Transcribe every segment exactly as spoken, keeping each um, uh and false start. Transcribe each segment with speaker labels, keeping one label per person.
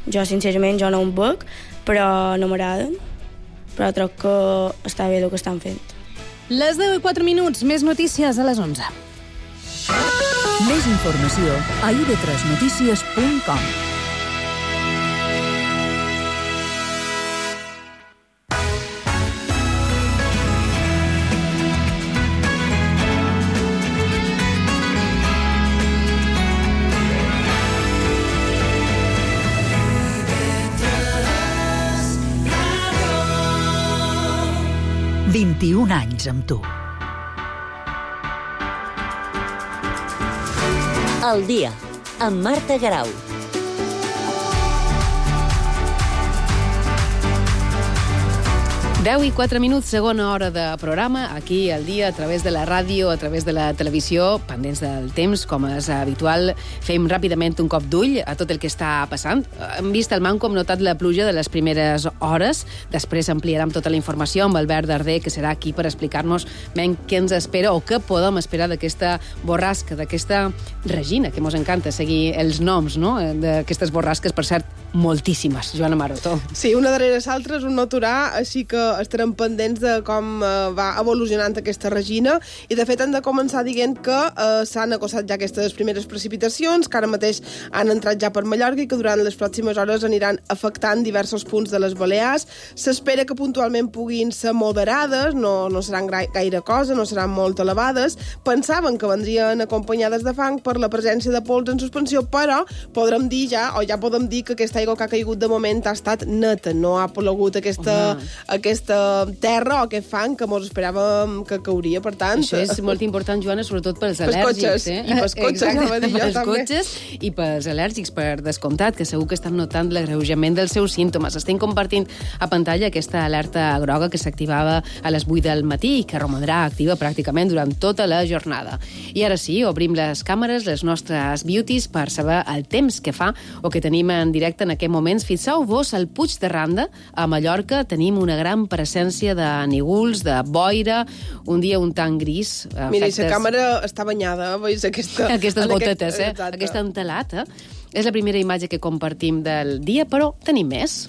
Speaker 1: Jo, sincerament, jo no em veig, però no m'agraden. Però crec que està bé el que estan fent.
Speaker 2: Les deu i quatre minuts, més notícies a les onze.
Speaker 3: Més informació a i de tres notícies punt com. vint-i-un anys amb tu.
Speaker 4: El dia, amb Marta Garau.
Speaker 2: deu i quatre minuts, segona hora de programa, aquí al dia, a través de la ràdio, a través de la televisió, pendents del temps, com és habitual, fem ràpidament un cop d'ull a tot el que està passant. Hem vist el manco, hem notat la pluja de les primeres hores, després ampliarem tota la informació amb Albert Darder, que serà aquí per explicar-nos ben què ens espera o què podem esperar d'aquesta borrasca, d'aquesta Regina, que mos encanta seguir els noms, no?, d'aquestes borrasques, per cert, moltíssimes. Joana Marotó.
Speaker 5: Sí, una darrere l'altra és un no aturar, així que estarem pendents de com eh, va evolucionant aquesta Regina, i de fet hem de començar dient que eh, s'han acossat ja aquestes primeres precipitacions, que ara mateix han entrat ja per Mallorca i que durant les pròximes hores aniran afectant diversos punts de les Balears. S'espera que puntualment puguin ser moderades, no, no seran gaire cosa, no seran molt elevades. Pensaven que vendrien acompanyades de fang per la presència de pols en suspensió, però podrem dir ja, o ja podem dir que aquesta aigua que ha caigut de moment ha estat neta, no ha plogut aquesta, aquesta terra o aquest fang que mos esperàvem que cauria, per tant...
Speaker 2: Això és molt important, Joana, sobretot pels
Speaker 5: pels
Speaker 2: al·lèrgics.
Speaker 5: Cotxes,
Speaker 2: eh?
Speaker 5: I pels cotxes, anava a dir jo,
Speaker 2: pels
Speaker 5: també.
Speaker 2: Cotxes i pels al·lèrgics, per descomptat, que segur que estan notant l'agreujament dels seus símptomes. Estem compartint a pantalla aquesta alerta groga que s'activava a les vuit del matí i que romandrà activa pràcticament durant tota la jornada. I ara sí, obrim les càmeres, les nostres beauties, per saber el temps que fa o que tenim en directe en aquest moments. Fixeu-vos al Puig de Randa, a Mallorca, tenim una gran presència de nígols, de boira, un dia un tant gris.
Speaker 5: Mira, efectes... i la càmera està banyada, veus? Aquesta...
Speaker 2: Aquestes gotetes,
Speaker 5: aquest...
Speaker 2: eh? Aquesta entelata. És la primera imatge que compartim del dia, però tenim més.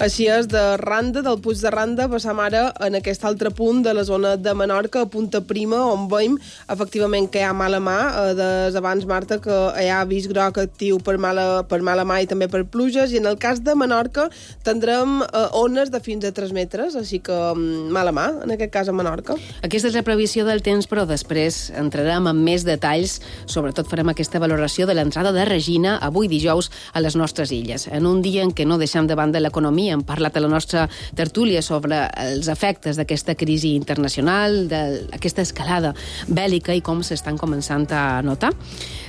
Speaker 5: Així és, de Randa, del Puig de Randa, passam ara en aquest altre punt de la zona de Menorca, a Punta Prima, on veiem efectivament que hi ha mala mà. Des abans, Marta, que hi ha avís groc actiu per mala, per mala mà i també per pluges, i en el cas de Menorca tindrem eh, ones de fins a tres metres, així que mala mà, en aquest cas a Menorca.
Speaker 2: Aquesta és la previsió del temps, però després entrarem en més detalls, sobretot farem aquesta valoració de l'entrada de Regina avui dijous a les nostres illes, en un dia en què no deixem de banda l'economia. Hem parlat a la nostra tertúlia sobre els efectes d'aquesta crisi internacional, d'aquesta escalada bèl·lica i com s'estan començant a notar.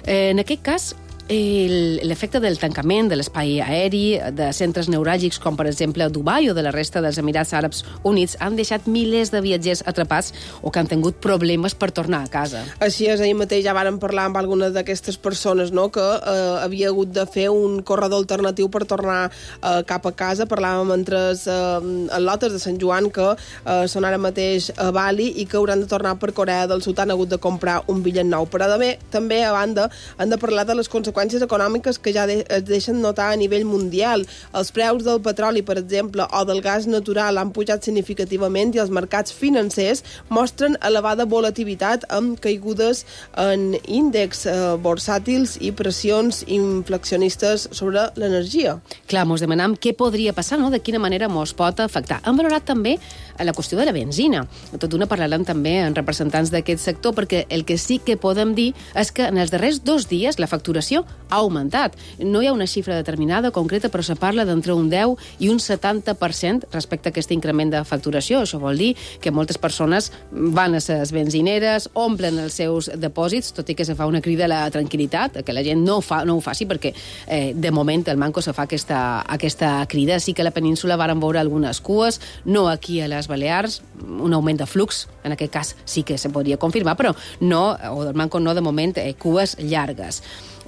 Speaker 2: Eh, en aquest cas, l'efecte del tancament de l'espai aeri, de centres neuràlgics com per exemple Dubai o de la resta dels Emirats Àrabs Units han deixat milers de viatgers atrapats o que han tingut problemes per tornar a casa.
Speaker 5: Així és, ahir mateix ja vàrem parlar amb algunes d'aquestes persones, no?, que eh, havia hagut de fer un corredor alternatiu per tornar eh, cap a casa. Parlàvem entre els eh, lotes de Sant Joan que eh, són ara mateix a Bali i que hauran de tornar per Corea del Sud, han hagut de comprar un bitllet nou. Però també, també a banda, han de parlar de les conseqüències econòmiques que ja de, es deixen notar a nivell mundial. Els preus del petroli, per exemple, o del gas natural han pujat significativament i els mercats financers mostren elevada volatilitat amb caigudes en índexs eh, borsàtils i pressions inflacionistes sobre l'energia.
Speaker 2: Clar, mos demanam què podria passar, no?, de quina manera mos pot afectar. Hem valorat també la qüestió de la benzina. Tot d'una parlarem també amb representants d'aquest sector, perquè el que sí que podem dir és que en els darrers dos dies la facturació ha augmentat. No hi ha una xifra determinada, concreta, però se parla d'entre un deu i un setanta per cent respecte a aquest increment de facturació. Això vol dir que moltes persones van a les benzineres, omplen els seus depòsits, tot i que se fa una crida a la tranquil·litat, que la gent no, fa, no ho faci, perquè eh, de moment el Manco se fa aquesta, aquesta crida. Sí que a la península varen veure algunes cues, no aquí a les Balears, un augment de flux, en aquest cas sí que se podria confirmar, però no, o del Manco no de moment, eh, cues llargues.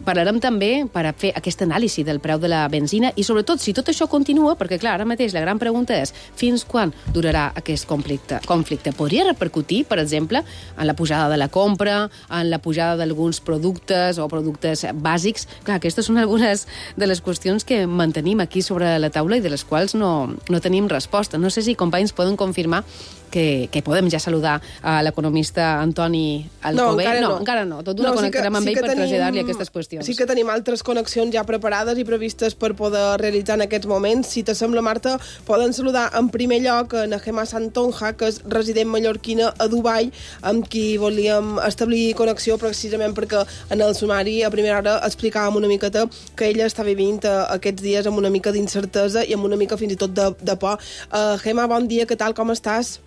Speaker 2: parlarem també per a fer aquesta anàlisi del preu de la benzina i, sobretot, si tot això continua, perquè, clar, ara mateix la gran pregunta és fins quan durarà aquest conflicte. conflicte. Podria repercutir, per exemple, en la pujada de la compra, en la pujada d'alguns productes o productes bàsics. Clar, aquestes són algunes de les qüestions que mantenim aquí sobre la taula i de les quals no, no tenim resposta. No sé si, companys, poden confirmar que, que podem ja saludar a l'economista Antoni Alcover.
Speaker 5: No, encara no.
Speaker 2: no, encara no. Tot una
Speaker 5: no,
Speaker 2: connectarem
Speaker 5: sí
Speaker 2: amb
Speaker 5: sí
Speaker 2: ell per
Speaker 5: tenim,
Speaker 2: traslladar-li aquestes qüestions.
Speaker 5: Sí que tenim altres connexions ja preparades i previstes per poder realitzar en aquests moments. Si t'assembla, Marta, poden saludar en primer lloc a Nehema Santonja, que és resident mallorquina a Dubai, amb qui volíem establir connexió precisament perquè en el sumari a primera hora explicàvem una miqueta que ella està vivint aquests dies amb una mica d'incertesa i amb una mica fins i tot de, de por. Uh, Gemma, bon dia, què tal, com estàs?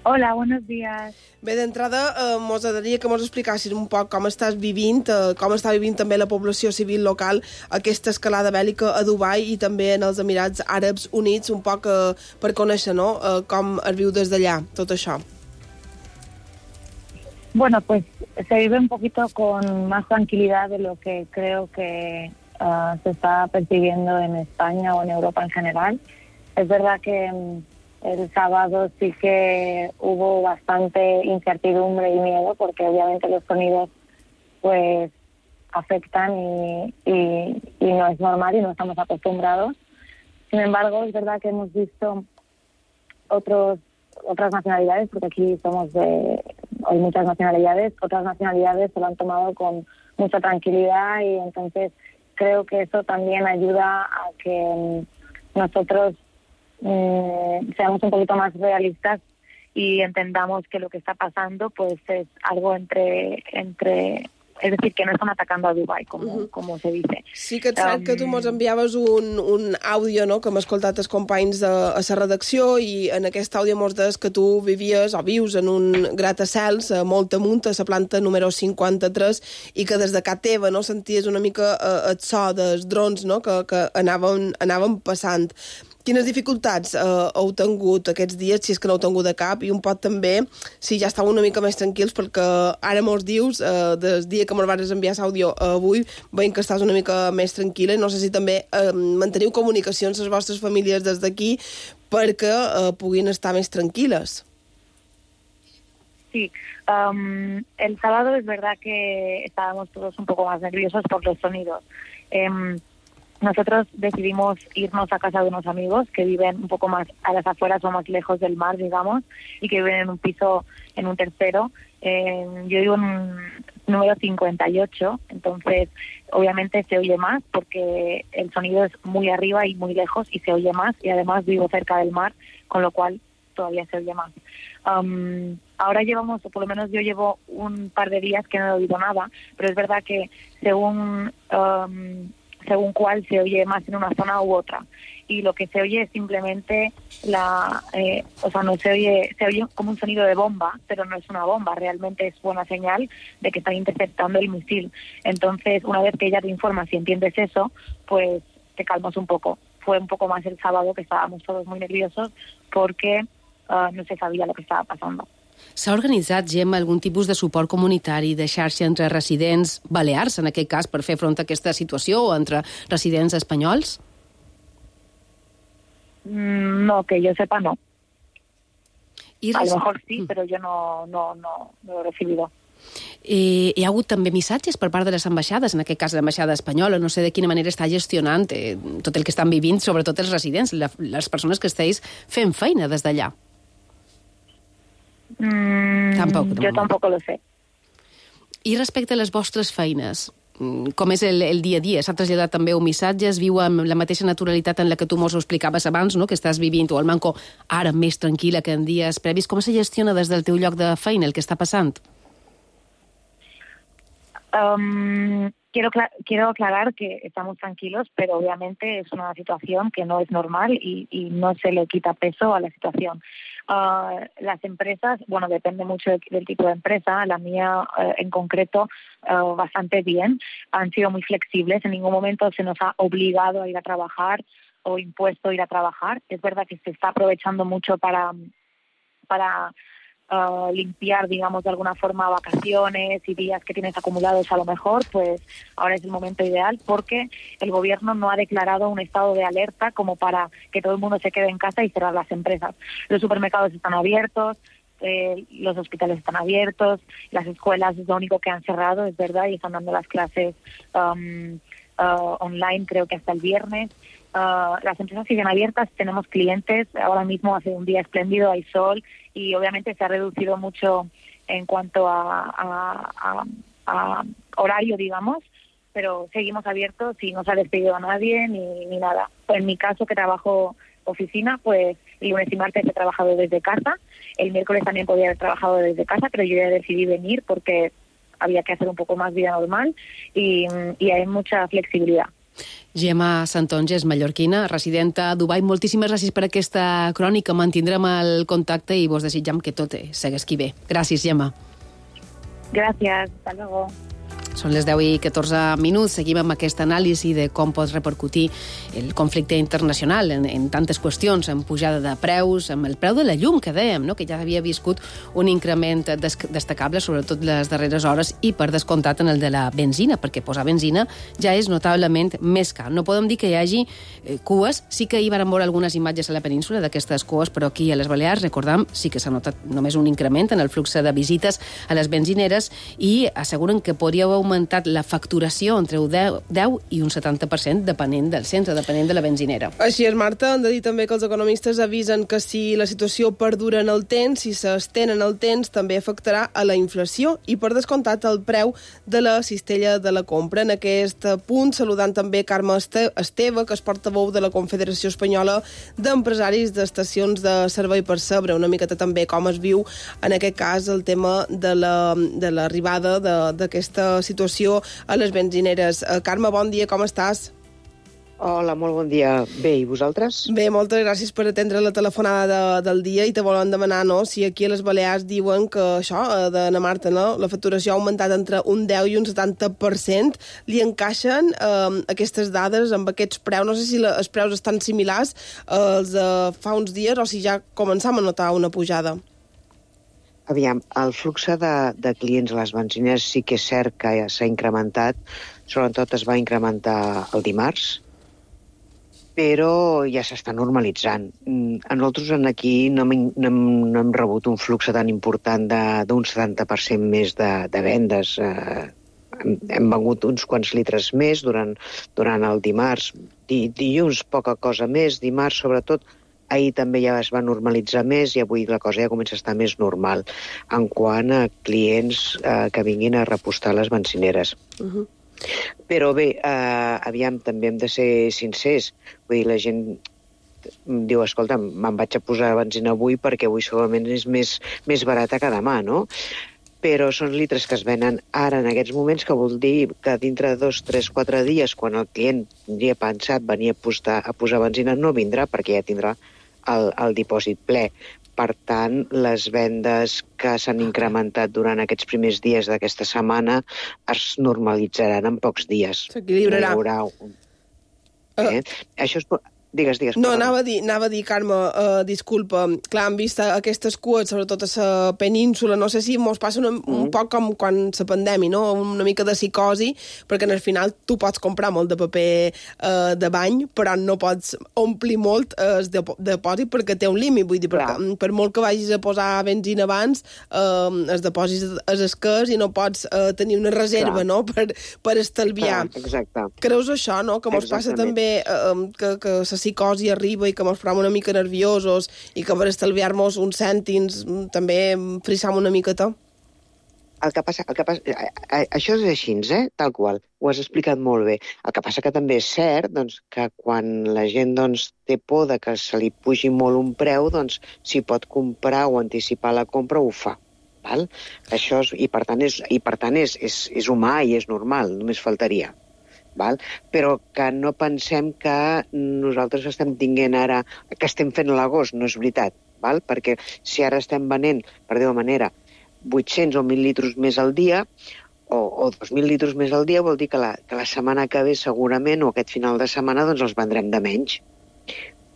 Speaker 6: Hola, buenos días.
Speaker 5: Bé, d'entrada, eh, mos agradaria que mos explicassis un poc com estàs vivint, eh, com està vivint també la població civil local aquesta escalada bèl·lica a Dubai i també en els Emirats Àrabs Units, un poc eh, per conèixer, no?, eh, com es viu des d'allà, tot això.
Speaker 6: Bueno, pues se vive un poquito con más tranquilidad de lo que creo que uh, se está percibiendo en España o en Europa en general. Es verdad que um, el sábado sí que hubo bastante incertidumbre y miedo porque obviamente los sonidos pues afectan y, y, y no es normal y no estamos acostumbrados. Sin embargo, es verdad que hemos visto otros otras nacionalidades, porque aquí somos de hay muchas nacionalidades, otras nacionalidades se lo han tomado con mucha tranquilidad y entonces creo que eso también ayuda a que nosotros eh, seamos un poquito más realistas y entendamos que lo que está pasando pues es algo entre entre es decir, que no están atacando a Dubai, com, uh-huh. com se dice.
Speaker 5: Sí que et sap um... que tu mos enviaves un, un àudio, no?, que hem escoltat els companys de, a la redacció i en aquest àudio mos deies que tu vivies o vius en un gratacels molt amunt, a la planta número cinquanta-tres, i que des de casa teva, no?, senties una mica eh, el so dels drons, no?, que, que anaven, anaven passant. Quines dificultats eh, heu tingut aquests dies, si és que no heu tingut de cap, i un pot també, si ja estàu una mica més tranquils, perquè ara mos dius, eh, des dia que me'l vas enviar l'àudio avui, veiem que estàs una mica més tranquil·la, no sé si també eh, manteniu comunicacions les vostres famílies des d'aquí perquè eh, puguin estar més tranquil·les.
Speaker 6: Sí, um, el sábado es verdad que estábamos todos un poco más nerviosos por los sonidos. Eh, Nosotros decidimos irnos a casa de unos amigos que viven un poco más a las afueras o más lejos del mar, digamos, y que viven en un piso, en un tercero. Eh, yo vivo en un número cincuenta y ocho, entonces obviamente se oye más porque el sonido es muy arriba y muy lejos y se oye más, y además vivo cerca del mar, con lo cual todavía se oye más. Um, ahora llevamos, o por lo menos yo llevo un par de días que no he oído nada, pero es verdad que según... Um, según cuál se oye más en una zona u otra, y lo que se oye es simplemente la eh, o sea no se oye se oye como un sonido de bomba, pero no es una bomba, realmente es buena señal de que están interceptando el misil. Entonces, una vez que ya te informas y entiendes eso, pues te calmas un poco. Fue un poco más el sábado, que estábamos todos muy nerviosos porque uh, no se sabía lo que estaba pasando.
Speaker 2: S'ha organitzat, Gemma, algun tipus de suport comunitari, de xarxa entre residents balears, en aquest cas, per fer front a aquesta situació, o entre residents espanyols?
Speaker 6: Mm, no, que yo sepa, no.
Speaker 2: I
Speaker 6: a lo mejor sí, però jo no, no, no, no he recibido.
Speaker 2: Eh, hi ha hagut també missatges per part de les ambaixades, en aquest cas l'ambaixada espanyola, no sé de quina manera està gestionant eh, tot el que estan vivint, sobretot els residents, la, les persones que esteu fent feina des d'allà.
Speaker 6: Mm,
Speaker 2: tampoc, no.
Speaker 6: Jo tampoc lo sé.
Speaker 2: I respecte a les vostres feines, com és el, el dia a dia? S'ha traslladat també un missatge? Es viu amb la mateixa naturalitat en la que tu mos ho explicaves abans, no?, que estàs vivint, o al manco ara més tranquil·la que en dies previs. Com se gestiona des del teu lloc de feina el que està passant?
Speaker 6: Um, quiero, quiero aclarar que estamos tranquilos, pero obviamente es una situación que no es normal y, y no se le quita peso a la situación. Uh, las empresas, bueno, depende mucho de, del tipo de empresa. La mía uh, en concreto, uh, bastante bien. Han sido muy flexibles. En ningún momento se nos ha obligado a ir a trabajar o impuesto a ir a trabajar. Es verdad que se está aprovechando mucho para, para uh, limpiar, digamos, de alguna forma vacaciones y días que tienes acumulados a lo mejor, pues ahora es el momento ideal porque el gobierno no ha declarado un estado de alerta como para que todo el mundo se quede en casa y cerrar las empresas. Los supermercados están abiertos, eh, los hospitales están abiertos, las escuelas es lo único que han cerrado, es verdad, y están dando las clases um, uh, online creo que hasta el viernes. Uh, las empresas siguen abiertas, tenemos clientes, ahora mismo hace un día espléndido, hay sol y obviamente se ha reducido mucho en cuanto a, a, a, a horario, digamos, pero seguimos abiertos y no se ha despedido a nadie ni, ni nada. En mi caso, que trabajo oficina, pues el lunes y martes he trabajado desde casa, el miércoles también podía haber trabajado desde casa, pero yo ya decidí venir porque había que hacer un poco más vida normal y, y hay mucha flexibilidad.
Speaker 2: Gemma Santonges, mallorquina, residenta a Dubai. Moltíssimes gràcies per aquesta crònica. Mantindrem el contacte i vos desitjam que tot segueixi bé. Gràcies, Gemma.
Speaker 6: Gràcies, hasta luego.
Speaker 2: Són les deu i catorze minuts. Seguim amb aquest anàlisi de com pot repercutir el conflicte internacional en, en tantes qüestions, en pujada de preus, amb el preu de la llum, que dèiem, no? Que ja havia viscut un increment des destacable, sobretot les darreres hores, i per descomptat en el de la benzina, perquè posar benzina ja és notablement més car. No podem dir que hi hagi eh, cues. Sí que hi van veure algunes imatges a la península d'aquestes cues, però aquí a les Balears, recordam, sí que s'ha notat només un increment en el flux de visites a les benzineres i asseguren que podria haver augmentat la facturació entre un deu i un setanta per cent depenent del centre, depenent de la benzinera.
Speaker 5: Així és, Marta. Hem de dir també que els economistes avisen que si la situació perdura en el temps, si s'estén en el temps, també afectarà a la inflació i, per descomptat, el preu de la cistella de la compra. En aquest punt, saludant també Carme Esteve, que és portaveu de la Confederació Espanyola d'Empresaris d'Estacions de Servei, per saber una miqueta també com es viu, en aquest cas, el tema de l'arribada la, de d'aquesta situació a les benzineres. Carme, bon dia, com estàs?
Speaker 7: Hola, molt bon dia. Bé, i vosaltres?
Speaker 5: Bé, moltes gràcies per atendre la telefonada de, del dia i te volen demanar, no?, si aquí a les Balears diuen que això, de na Marta, no?, la facturació ha augmentat entre un deu i un setanta per cent. Li encaixen eh, aquestes dades amb aquests preus? No sé si la, els preus estan similars als de fa uns dies o si ja començam a notar una pujada.
Speaker 7: Aviam, el flux de, de clients a les benzineres sí que és cert que s'ha incrementat, sobretot es va incrementar el dimarts, però ja s'està normalitzant. A nosaltres aquí no hem, no hem, no hem rebut un flux tan important d'un setanta per cent més de, de vendes. Eh, hem, hem vengut uns quants litres més durant, durant el dimarts. Di, dilluns poca cosa més, dimarts sobretot. Ahir també ja es va normalitzar més i avui la cosa ja comença a estar més normal en quant a clients eh, que vinguin a repostar les benzineres. Uh-huh. Però bé, eh, aviam, també hem de ser sincers. Vull dir, la gent diu, escolta, me'n vaig a posar benzina avui perquè avui segurament és més, més barata que demà, no? Però són litres que es venen ara en aquests moments, que vol dir que dintre de dos, tres, quatre dies, quan el client tindria pensat venir a posar, a posar benzina, no vindrà perquè ja tindrà el, el dipòsit ple. Per tant, les vendes que s'han incrementat durant aquests primers dies d'aquesta setmana es normalitzaran en pocs dies.
Speaker 5: S'equilibrarà.
Speaker 7: No hi haurà un... eh? uh. Això és... Digues, digues.
Speaker 5: No, anava a dir, anava a dir Carme, uh, disculpa, clar, hem vist aquestes cues, sobretot a la península, no sé si mos passa una, mm. un poc com quan la pandèmia, no? Una mica de psicosi, perquè al final tu pots comprar molt de paper uh, de bany, però no pots omplir molt uh, el depòsit perquè té un límit, vull dir, perquè, per molt que vagis a posar benzina abans, uh, el depòsit és escàs i no pots uh, tenir una reserva, clar, no?, per, per estalviar.
Speaker 7: Clar, exacte.
Speaker 5: Creus això, no?, que mos passa també uh, que, que se psicosi arriba i que mos farem una mica nerviosos i que per estalviar-nos uns cèntims també frissam una miqueta?
Speaker 7: El que passa, el que passa, això és així, eh? Tal qual, ho has explicat molt bé. El que passa que també és cert, doncs, que quan la gent, doncs, té por de que se li pugi molt un preu, doncs, si pot comprar o anticipar la compra, ho fa. Val? Això és, i per tant, és, i per tant és, és, és humà i és normal, només faltaria. Val? Però que no pensem que nosaltres estem tinguent ara, que estem fent l'agost, no és veritat, val? Perquè si ara estem venent, per dir-ho manera, vuit-cents o mil litros més al dia, o, o dos mil litros més al dia, vol dir que la, que la setmana que ve segurament, o aquest final de setmana, doncs els vendrem de menys.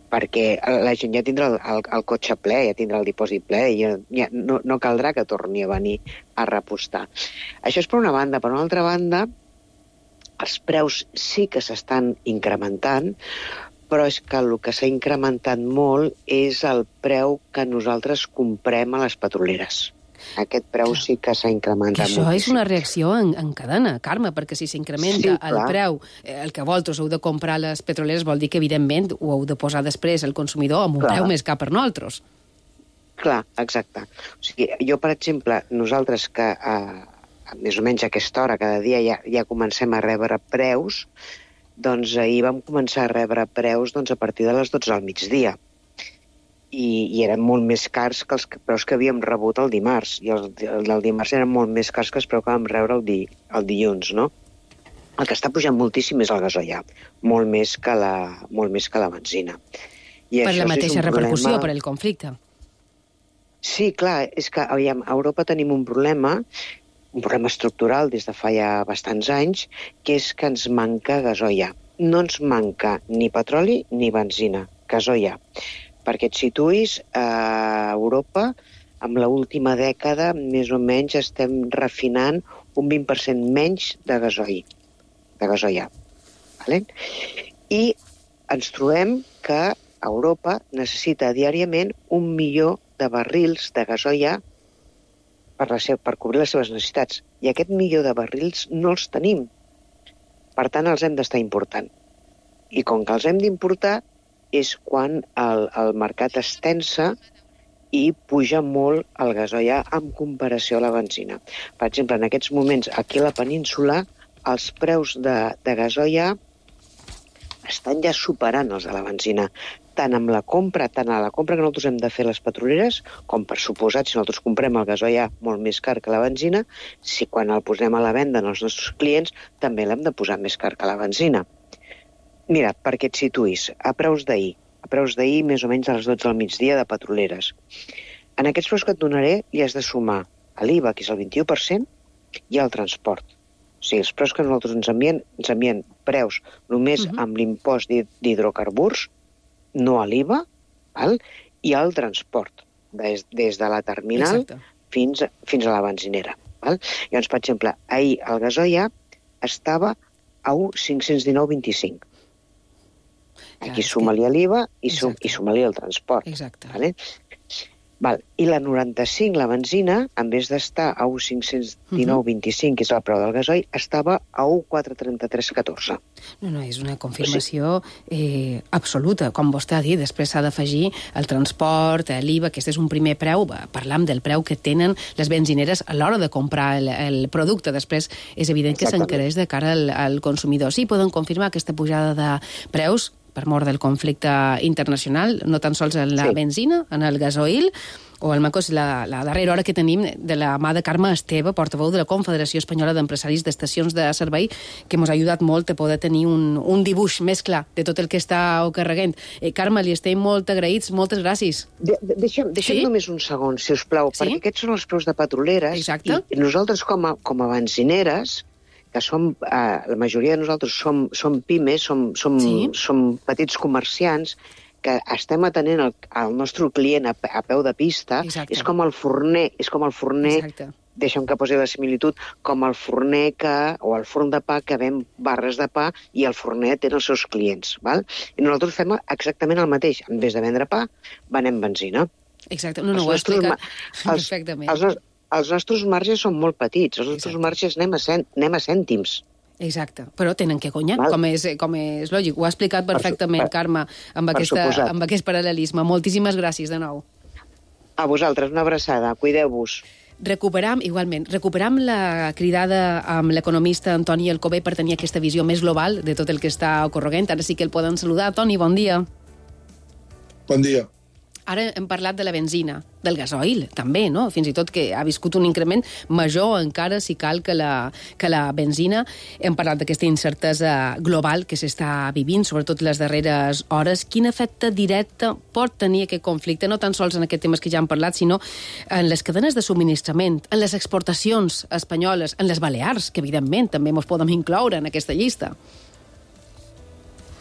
Speaker 7: perquè la gent ja tindrà el, el, el cotxe ple, ja tindrà el dipòsit ple, i ja, ja no, no caldrà que torni a venir a repostar. Això és per una banda. Per una altra banda, els preus sí que s'estan incrementant, però és que el que s'ha incrementat molt és el preu que nosaltres comprem a les petroleres. Aquest preu sí que s'ha incrementat
Speaker 2: moltíssim. Això és una reacció en, en cadena, Carme, perquè si s'incrementa sí, el preu, el que vosaltres heu de comprar a les petroleres vol dir que, evidentment, ho heu de posar després al consumidor amb un clar. preu més car per nosaltres.
Speaker 7: Clar, exacte. O sigui, jo, per exemple, nosaltres que eh, més o menys a aquesta hora, cada dia ja, ja comencem a rebre preus, doncs ahir vam començar a rebre preus doncs, a partir de les dotze del migdia. I, i eren molt més cars que els preus que havíem rebut el dimarts. I el, el del dimarts eren molt més cars que els preus que vam rebre el, di, el dilluns, no? El que està pujant moltíssim és el gasoil, molt més que la, molt més que la benzina. I
Speaker 2: per la mateixa repercussió,
Speaker 7: problema...
Speaker 2: per el conflicte.
Speaker 7: Sí, clar, és que aviam, a Europa tenim un problema, un problema estructural des de fa ja bastants anys, que és que ens manca gasoil. No ens manca ni petroli ni benzina, gasoil. Perquè et situïs, a Europa, amb l'última dècada, més o menys estem refinant un vint per cent menys de gasoil. De gasoil. Vale? I ens trobem que Europa necessita diàriament un milió de barrils de gasoil per, la seva, per cobrir les seves necessitats. I aquest milió de barrils no els tenim. Per tant, els hem d'estar important. I com que els hem d'importar, és quan el, el mercat es tensa i puja molt el gasoil en comparació a la benzina. Per exemple, en aquests moments, aquí a la península, els preus de, de gasoil estan ja superant els de la benzina. Tant amb la compra, tant a la compra que nosaltres hem de fer les petroleres, com per suposat, si nosaltres comprem el gasoil molt més car que la benzina, si quan el posem a la venda als nostres clients, també l'hem de posar més car que la benzina. Mira, perquè et situïs, a preus d'ahir, a preus d'ahir més o menys a les dotze del migdia de petroleres. En aquests preus que et donaré li has de sumar a l'I V A, que és el vint-i-u per cent, i al transport. O sigui, els preus que nosaltres ens envien, ens envien preus només uh-huh. amb l'impost d'hidrocarburs, no a l'I V A, val? I al transport, des, des de la terminal fins, fins a la benzinera. Val? Llavors, per exemple, ahir el gasoil estava a un coma cinc-cents dinou coma vint-i-cinc. Aquí suma-li l'I V A i, sum, i suma-li el transport.
Speaker 2: Exacte.
Speaker 7: Vale? Val. I la noranta-cinc, la benzina, en vez d'estar a un coma cinc-cents dinou coma vint-i-cinc, que és el preu del gasoil, estava a un coma quatre cents trenta-tres coma catorze.
Speaker 2: No, no, és una confirmació eh, absoluta. Com vostè ha dit, després s'ha d'afegir el transport, l'I V A, aquest és un primer preu. Parlam del preu que tenen les benzineres a l'hora de comprar el, el producte. Després és evident que s'encareix de cara al, al consumidor. Sí, poden confirmar aquesta pujada de preus per mort del conflicte internacional, no tan sols en la sí. benzina, en el gasoil, o el Macos, la, la darrera hora que tenim de la mà de Carme Esteve, portaveu de la Confederació Espanyola d'Empresaris d'Estacions de Servei, que ens ha ajudat molt a poder tenir un, un dibuix més clar de tot el que està ocarreguent. Eh, Carme, li estem molt agraïts, moltes gràcies.
Speaker 7: De, de, deixa'm deixa'm sí? només un segon, si us plau, sí? perquè aquests són els preus de petroleres.
Speaker 2: Exacte.
Speaker 7: I nosaltres, com a, com a benzineres, que som, eh, la majoria de nosaltres som, som pimes, som, som, sí? som petits comerciants, que estem atenent el, el nostre client a, a peu de pista. Exacte. És com el forner, és com el forner, Exacte. deixa'm que posi la similitud, com el forner que, o el forn de pa que ven barres de pa i el forner té els seus clients. Val? I nosaltres fem exactament el mateix. En vez de vendre pa, venem benzina.
Speaker 2: Exacte, no, no, ho ha explicat perfectament.
Speaker 7: Els, els, els nostres marges són molt petits, els nostres Exacte. marges anem a, cent, anem a cèntims.
Speaker 2: Exacte, però tenen que guanyar, com és, com és lògic. Ho ha explicat perfectament, per, Carme, amb, aquesta, amb aquest paral·lelisme. Moltíssimes gràcies de nou.
Speaker 7: A vosaltres, una abraçada. Cuideu-vos.
Speaker 2: Recuperam, igualment, recuperam la cridada amb l'economista Antoni Alcover per tenir aquesta visió més global de tot el que està ocorreguent. Ara sí que el poden saludar. Toni, bon dia.
Speaker 8: Bon dia.
Speaker 2: Ara hem parlat de la benzina, del gasoil, també, no? Fins i tot que ha viscut un increment major encara, si cal, que la, que la benzina. Hem parlat d'aquesta incertesa global que s'està vivint, sobretot les darreres hores. Quin efecte directe pot tenir aquest conflicte, no tan sols en aquests temes que ja hem parlat, sinó en les cadenes de subministrament, en les exportacions espanyoles, en les Balears, que evidentment també ens podem incloure en aquesta llista?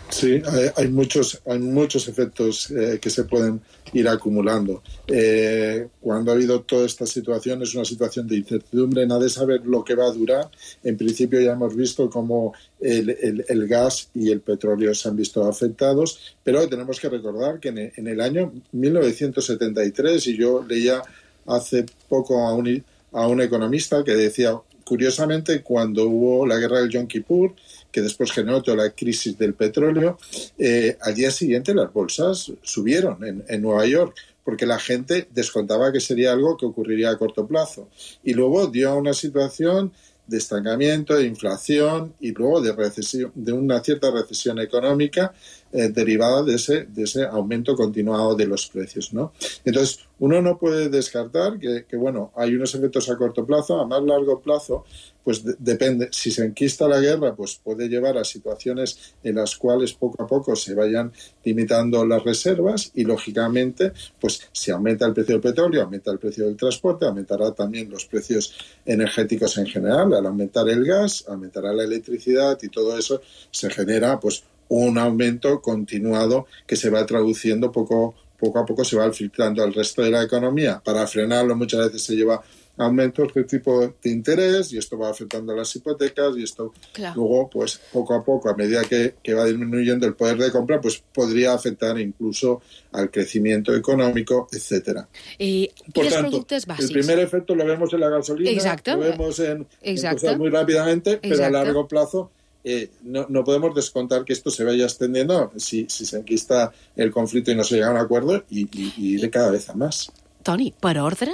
Speaker 8: Sí, hay, hay muchos, hay muchos efectos eh, que se pueden ir acumulando. Eh, cuando ha habido toda esta situación, es una situación de incertidumbre, nadie sabe lo que va a durar. En principio ya hemos visto cómo el, el, el gas y el petróleo se han visto afectados, pero tenemos que recordar que en, en el año mil novecientos setenta y tres, y yo leía hace poco a un, a un economista que decía, curiosamente, cuando hubo la guerra del Yom Kippur, que después generó toda la crisis del petróleo, eh, al día siguiente las bolsas subieron en, en Nueva York, porque la gente descontaba que sería algo que ocurriría a corto plazo. Y luego dio una situación de estancamiento, de inflación y luego de recesión, de una cierta recesión económica eh, derivada de ese, de ese aumento continuado de los precios, ¿no? Entonces, uno no puede descartar que, que bueno, hay unos efectos a corto plazo, a más largo plazo, pues de, depende. Si se enquista la guerra, pues puede llevar a situaciones en las cuales poco a poco se vayan limitando las reservas y, lógicamente, pues si aumenta el precio del petróleo, aumenta el precio del transporte, aumentará también los precios energéticos en general. Al aumentar el gas, aumentará la electricidad y todo eso se genera, pues, un aumento continuado que se va traduciendo poco, poco a poco, se va filtrando al resto de la economía. Para frenarlo muchas veces se lleva aumentos de tipo de interés y esto va afectando a las hipotecas y esto claro. Luego, pues poco a poco, a medida que, que va disminuyendo el poder de compra, pues podría afectar incluso al crecimiento económico, etcétera.
Speaker 2: Y,
Speaker 8: Por
Speaker 2: y
Speaker 8: tanto, el primer efecto lo vemos en la gasolina, Exacto. lo vemos en, en cosas muy rápidamente, Exacto. pero a largo plazo Eh, no, no podemos descontar que esto se vaya extendiendo si, si se enquista el conflicte i no se llega a un acuerdo i, i, i de cada vez a més.
Speaker 2: Toni, per ordre,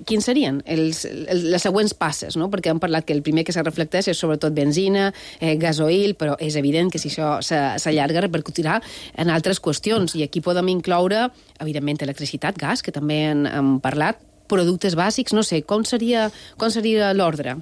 Speaker 2: quins serien els, els, les següents passes, no? Perquè hem parlat que el primer que se reflecteix és sobretot benzina, eh, gasoil, però és evident que si això s'allarga repercutirà en altres qüestions, i aquí podem incloure, evidentment, electricitat, gas, que també hem, hem parlat, productes bàsics, no sé, com seria, com seria l'ordre?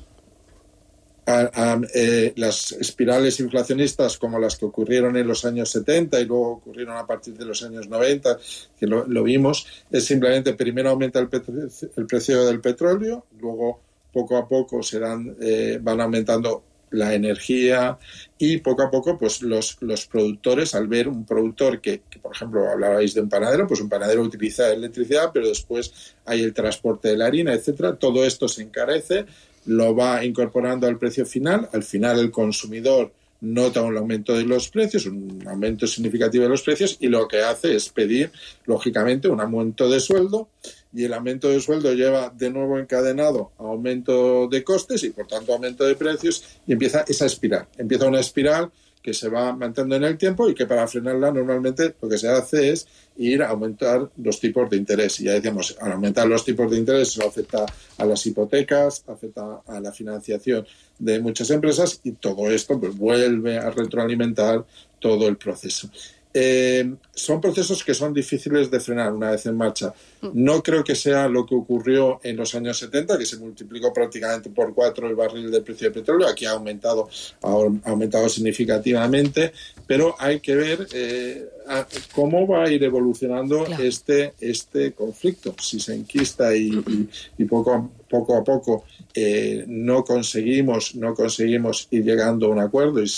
Speaker 8: A, a, eh, las espirales inflacionistas como las que ocurrieron en los años setenta y luego ocurrieron a partir de los años noventa, que lo, lo vimos, es simplemente primero aumenta el, petro, el precio del petróleo, luego poco a poco serán, eh, van aumentando la energía y poco a poco pues los, los productores, al ver un productor que, que, por ejemplo, hablabais de un panadero, pues un panadero utiliza electricidad, pero después hay el transporte de la harina, etcétera, todo esto se encarece, lo va incorporando al precio final, al final el consumidor nota un aumento de los precios, un aumento significativo de los precios y lo que hace es pedir, lógicamente, un aumento de sueldo y el aumento de sueldo lleva de nuevo encadenado a aumento de costes y, por tanto, aumento de precios y empieza esa espiral. Empieza una espiral que se va manteniendo en el tiempo y que para frenarla normalmente lo que se hace es ir a aumentar los tipos de interés. Y ya decíamos, al aumentar los tipos de interés eso afecta a las hipotecas, afecta a la financiación de muchas empresas y todo esto pues vuelve a retroalimentar todo el proceso. Eh, son procesos que son difíciles de frenar una vez en marcha. No creo que sea lo que ocurrió en los años setenta, que se multiplicó prácticamente por cuatro el barril del precio del petróleo. Aquí ha aumentado, ha aumentado significativamente, pero hay que ver eh, a, cómo va a ir evolucionando claro. este, este conflicto. Si se enquista y, y, y poco a poco, a poco eh, no conseguimos, no conseguimos ir llegando a un acuerdo y,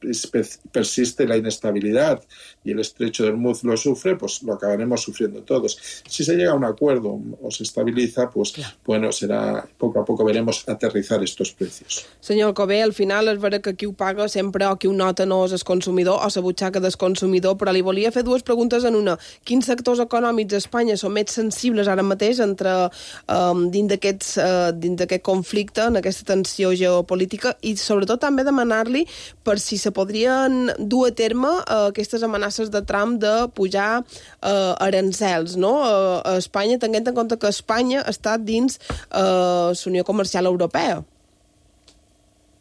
Speaker 8: y persiste la inestabilidad y el estrecho de Hormuz lo sufre, pues lo acabaremos sufriendo todos. Si se llega a un acuerdo o se estabiliza, pues claro. bueno, será poco a poco veremos aterrizar estos precios.
Speaker 5: Senyor Alcover, al final és vera que qui ho paga sempre o qui ho nota no és el consumidor o la butxaca del consumidor, però li volia fer dues preguntes en una. Quins sectors econòmics a Espanya són més sensibles ara mateix entre um, dins d'aquests uh, dins d'aquest conflicte, en aquesta tensió geopolítica, i sobretot també demanar-li per si se podrien dur a terme uh, aquestes amenaces de Trump de pujar uh, arancels, no? Uh, a Espanya, tenint en compte que Espanya està dins uh, la Unió Comercial Europea.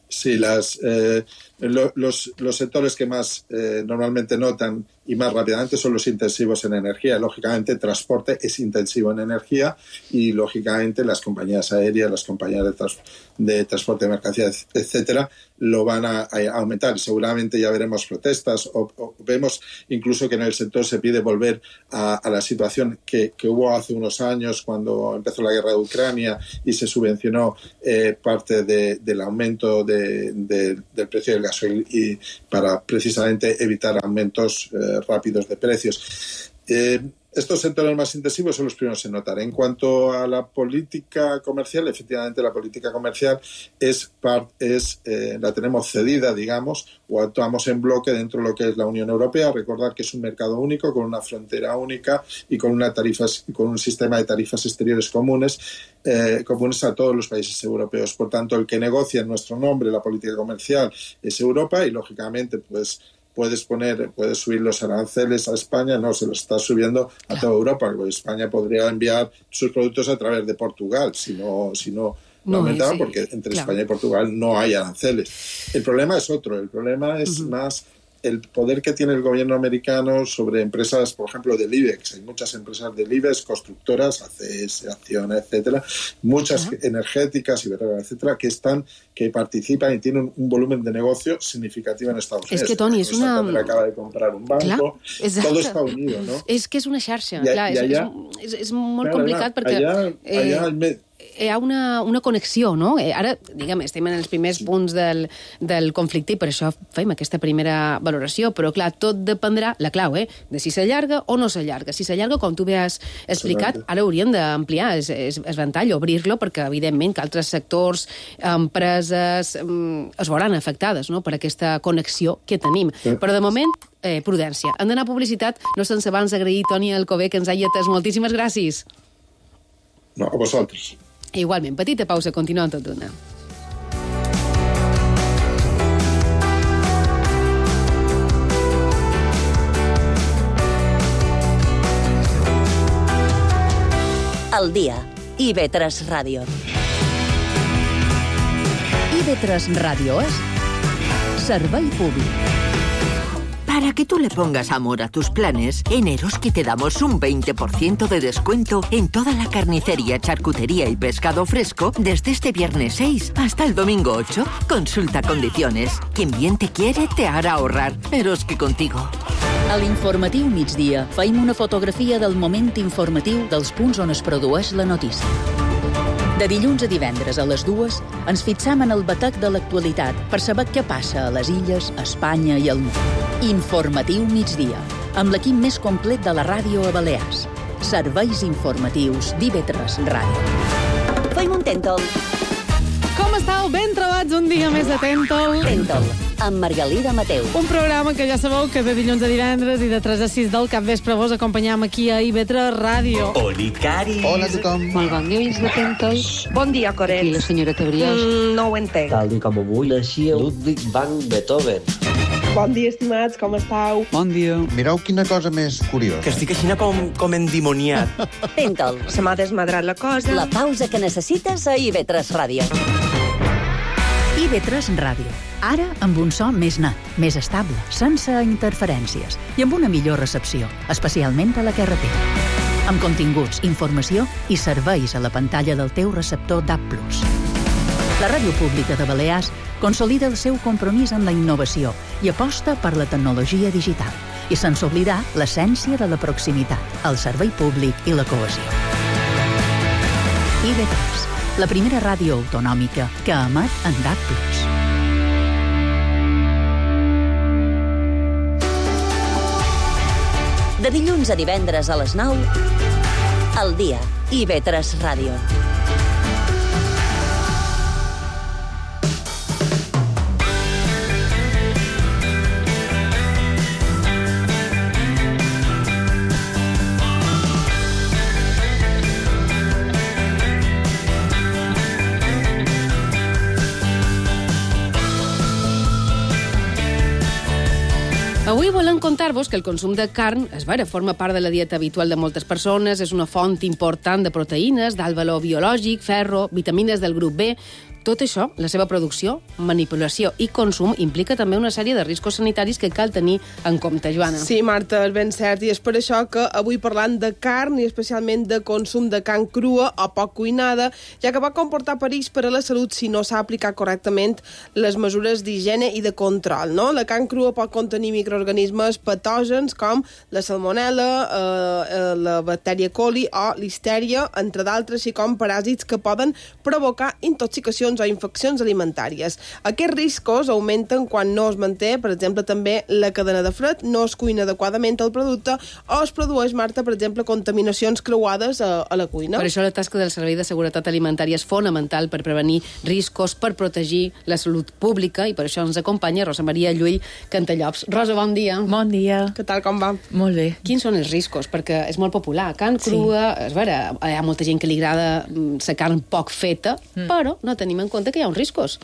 Speaker 8: Sí, las, eh, lo, los, los sectores que más eh, normalmente notan y más rápidamente son los intensivos en energía. Lógicamente, el transporte es intensivo en energía y, lógicamente, las compañías aéreas, las compañías de, trans, de transporte de mercancías, etcétera, lo van a, a aumentar. Seguramente ya veremos protestas o, o vemos incluso que en el sector se pide volver a, a la situación que, que hubo hace unos años cuando empezó la guerra de Ucrania y se subvencionó eh, parte de, del aumento de, de, del precio del gasoil y para precisamente evitar aumentos eh, rápidos de precios. Eh, Estos sectores más intensivos son los primeros en notar. En cuanto a la política comercial, efectivamente la política comercial es, part, es eh, la tenemos cedida, digamos, o actuamos en bloque dentro de lo que es la Unión Europea. Recordar que es un mercado único, con una frontera única y con, una tarifas, con un sistema de tarifas exteriores comunes, eh, comunes a todos los países europeos. Por tanto, el que negocia en nuestro nombre la política comercial es Europa y, lógicamente, pues puedes poner, puedes subir los aranceles a España, no, se los está subiendo a toda Europa, porque España podría enviar sus productos a través de Portugal, si no, si no, no, no aumentaban, sí, porque entre claro. España y Portugal no hay aranceles. El problema es otro, el problema es uh-huh. más el poder que tiene el gobierno americano sobre empresas, por ejemplo, del IBEX. Hay muchas empresas del IBEX, constructoras, A C S, Acciona, etcétera, muchas uh-huh. energéticas, Iberdrola, etcétera, que están, que participan y tienen un volumen de negocio significativo en Estados Unidos.
Speaker 2: És que, Toni, és una...
Speaker 8: acaba de comprar un banco, clar, todo está unido, ¿no?
Speaker 2: És que és una xarxa,
Speaker 8: I,
Speaker 2: clar,
Speaker 8: i allà,
Speaker 2: és, és, és molt
Speaker 8: clar,
Speaker 2: complicat
Speaker 8: clar,
Speaker 2: perquè...
Speaker 8: Allà, allà
Speaker 2: eh,
Speaker 8: el
Speaker 2: hi ha una, una connexió, no? Ara, diguem, estem en els primers punts del, del conflicte i per això fem aquesta primera valoració, però clar, tot dependrà, la clau, eh, de si s'allarga o no s'allarga. Si s'allarga, com tu bé has explicat, ara hauríem d'ampliar el, el ventall, obrir-lo, perquè evidentment que altres sectors, empreses, es veuran afectades, no?, per aquesta connexió que tenim. Però de moment, eh, prudència. Hem d'anar a publicitat, no sense abans agrair Toni Alcover que ens hagi atès. Moltíssimes gràcies.
Speaker 8: No, a vosaltres.
Speaker 2: Igualment, petita pausa, continuem tot d'una.
Speaker 4: Al dia, I V tres Ràdio.
Speaker 3: I V tres Ràdio és servei públic.
Speaker 9: Para que tú le pongas amor a tus planes, en Eroski te damos un veinte por ciento de descuento en toda la carnicería, charcutería y pescado fresco desde este viernes seis hasta el domingo ocho. Consulta condiciones. Quien bien te quiere te hará ahorrar. Eroski contigo.
Speaker 3: A l'informatiu migdia feim una fotografia del moment informatiu dels punts on es produeix la notícia. De dilluns a divendres a les dues ens fixam en el batec de l'actualitat per saber què passa a les illes, a Espanya i al món. Informatiu migdia, amb l'equip més complet de la ràdio a Balears. Serveis informatius d'I V tres Ràdio.
Speaker 4: Feim un Tèntol.
Speaker 2: Com estàu? Ben trobats un dia més de Tèntol.
Speaker 4: Tèntol, amb Margalida Mateu.
Speaker 2: Un programa que ja sabeu que de dilluns a divendres i de tres a sis del capvespre vos acompanyam aquí a I V tres Ràdio.
Speaker 10: Oli, Cari.
Speaker 11: Hola a tothom.
Speaker 12: Molt bon dia, de Tèntol.
Speaker 13: Bon dia, Coret.
Speaker 12: I la senyora Tabriós.
Speaker 13: Mm, no ho entenc.
Speaker 14: Tal i com avui naixia Ludwig van Beethoven.
Speaker 5: Bon dia, estimats, com estàu?
Speaker 11: Bon dia.
Speaker 15: Mireu quina cosa més curiosa.
Speaker 10: Que estic així com, com endimoniat.
Speaker 4: Tèntol.
Speaker 13: Se m'ha desmadrat la cosa.
Speaker 4: La pausa que necessites a I V tres Ràdio.
Speaker 3: I V tres Ràdio. Ara amb un so més net, més estable, sense interferències i amb una millor recepció, especialment a la carretera. Amb continguts, informació i serveis a la pantalla del teu receptor D A B plus. La Ràdio Pública de Balears consolida el seu compromís amb la innovació i aposta per la tecnologia digital i sense oblidar l'essència de la proximitat, el servei públic i la cohesió. I V tres, la primera ràdio autonòmica que emet en D A B plus.
Speaker 4: De dilluns a divendres a les nou, al dia, I V tres Ràdio.
Speaker 2: Avui volem contar-vos que el consum de carn, és vera, forma part de la dieta habitual de moltes persones, és una font important de proteïnes, d'alt valor biològic, ferro, vitamines del grup B. tot això, la seva producció, manipulació i consum, implica també una sèrie de riscos sanitaris que cal tenir en compte, Joana.
Speaker 5: Sí, Marta, és ben cert, i és per això que avui parlant de carn i especialment de consum de carn crua o poc cuinada, ja que va comportar perills per a la salut si no s'ha aplicat correctament les mesures d'higiene i de control, no? La carn crua pot contenir microorganismes patògens com la salmonella, eh, la bactèria coli o listèria, entre d'altres, així com paràsits que poden provocar intoxicacions o infeccions alimentàries. Aquests riscos augmenten quan no es manté, per exemple, també la cadena de fred, no es cuina adequadament el producte o es produeix, Marta, per exemple, contaminacions creuades a, a la cuina.
Speaker 2: Per això la tasca del Servei de Seguretat Alimentària és fonamental per prevenir riscos, per protegir la salut pública, i per això ens acompanya Rosa Maria Llull Cantallops. Rosa, bon dia.
Speaker 11: Bon dia.
Speaker 5: Què tal, com va?
Speaker 11: Molt bé.
Speaker 2: Quins són els riscos? Perquè és molt popular. Carn crua, sí. És vera, hi ha molta gent que li agrada la carn poc feta, mm. però no tenim en compte que hi ha uns riscos.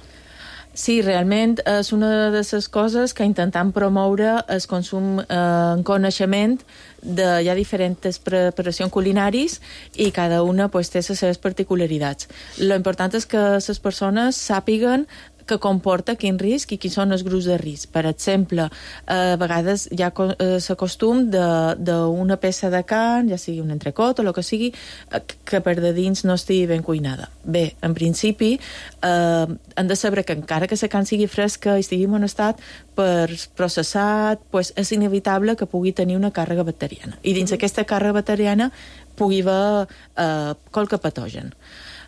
Speaker 11: Sí, realment és una de les coses que intentem promoure el consum eh, en coneixement de, hi ha diferents preparacions culinaris i cada una pues, té les seves particularitats. Lo important és que les persones sàpiguen que comporta quin risc i quins són els grups de risc. Per exemple, a vegades hi ha l'acostum d'una peça de carn, ja sigui un entrecot o el que sigui, que per de dins no estigui ben cuinada. Bé, en principi, eh, hem de saber que encara que la carn sigui fresca i estigui en bon estat, per processat, pues, és inevitable que pugui tenir una càrrega bacteriana. I dins aquesta càrrega bacteriana pugui haver eh, qualque patogen.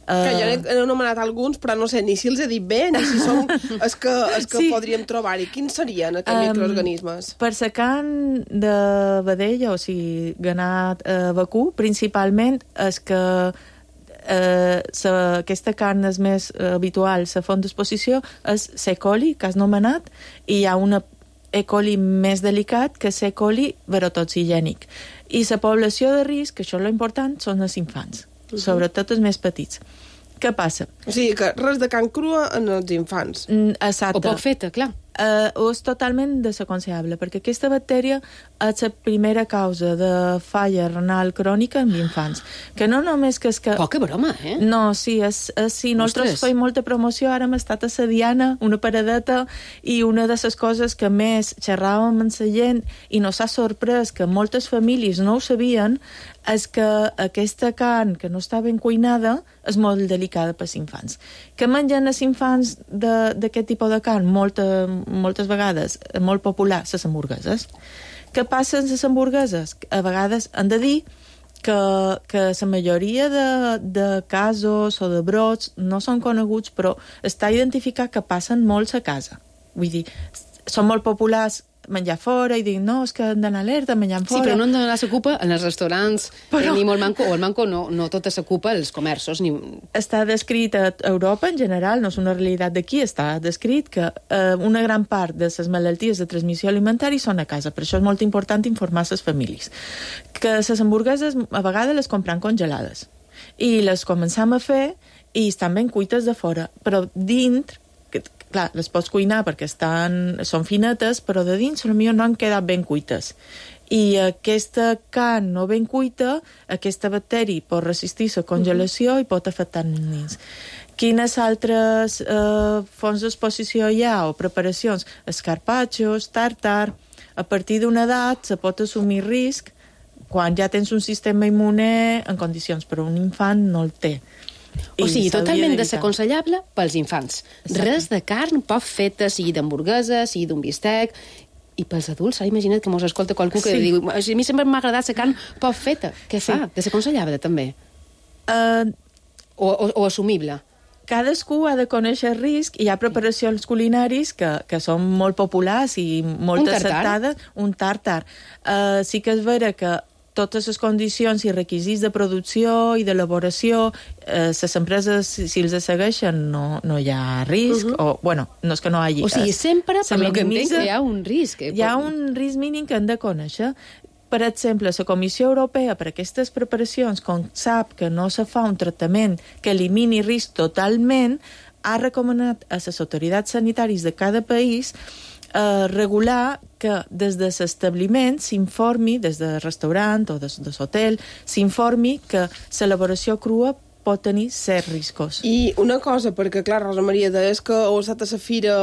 Speaker 5: Que jo he anomenat alguns, però no sé ni si els he dit bé, ni si són els que, els que sí. podríem trobar-hi. Quins serien aquests um, microorganismes?
Speaker 11: Per la carn de vedella, o sigui, ganat eh, vacú, principalment és que eh, sa, aquesta carn és més habitual, la font d'exposició és C. coli, que has nomenat, i hi ha una E. coli més delicat que C. coli verotoxigènic. I la població de risc, que això és l'important, són els infants. Uh-huh. Sobretot els més petits. Què passa?
Speaker 5: O sigui que res de carn crua en els infants.
Speaker 11: Mm, exacte.
Speaker 2: O poc feta, clar.
Speaker 11: Uh, o és totalment desaconsellable, perquè aquesta bactèria és la primera causa de falla renal crònica en infants. Que no només que és que...
Speaker 2: Poca broma, eh?
Speaker 11: No, sí, és, és, sí nosaltres feim molta promoció, ara hem estat a la Diana, una paradeta, i una de les coses que més xerràvem amb la gent i nos ha sorprès que moltes famílies no ho sabien, és que aquesta carn que no està ben cuinada és molt delicada pels infants. Que mengen els infants d'aquest tipus de carn? Molta, moltes vegades, molt popular, les hamburgueses. Què passa amb les hamburgueses? A vegades han de dir que, que la majoria de, de casos o de brots no són coneguts, però està identificat que passen molts a casa. Vull dir, són molt populars menjar fora i dir, no, és que han d'anar alerta menjant fora.
Speaker 2: Sí, però no han d'anar a s'ocupa en els restaurants, però... ni molt manco, o el manco no, no tot s'ocupa als comerços. Ni...
Speaker 11: Està descrit a Europa en general, no és una realitat d'aquí, està descrit que eh, una gran part de les malalties de transmissió alimentària són a casa, per això és molt important informar les famílies. Que les hamburgueses a vegades les compran congelades i les començam a fer i estan ben cuites de fora, però dintre clar, les pots cuinar perquè estan, són finetes, però de dins potser no han quedat ben cuites. I aquesta carn no ben cuita, aquesta bacteri pot resistir la congelació uh-huh. i pot afectar els nens. Quines altres eh, fonts d'exposició hi ha o preparacions? Escarpatxos, tàrtar. A partir d'una edat se pot assumir risc quan ja tens un sistema immune en condicions, però un infant no el té.
Speaker 2: O sigui, totalment desaconsellable pels infants. Exacte. Res de carn poc feta, sigui d'hamburguesa, sigui d'un bistec. I pels adults, s'ha imaginat que mos escolta qualcú que sí. diu, a mi sempre m'ha agradat la carn poc feta. Què sí. fa? Desaconsellable, també? Uh, o, o, o assumible?
Speaker 11: Cadascú ha de conèixer el risc. Hi ha preparacions culinaris que, que són molt populars i molt acceptades. Un tàrtar? Uh, sí que és vera que totes les condicions i requisits de producció i d'elaboració, eh, les empreses, si, si els segueixen, no, no hi ha risc, uh-huh. o, bueno, no és que no hi hagi...
Speaker 2: O sigui, sempre, per lo que entenc, hi ha un risc.
Speaker 11: Hi ha un risc mínim que hem de conèixer. Per exemple, la Comissió Europea, per aquestes preparacions, com sap que no se fa un tractament que elimini risc totalment, ha recomanat a les autoritats sanitàries de cada país Uh, regular que des de l'establiment s'informi, des del restaurant o des de l'hotel, s'informi que l'elaboració crua pot tenir certs riscos.
Speaker 5: I una cosa, perquè clar, Rosa Maria, deies que heu estat a la fira,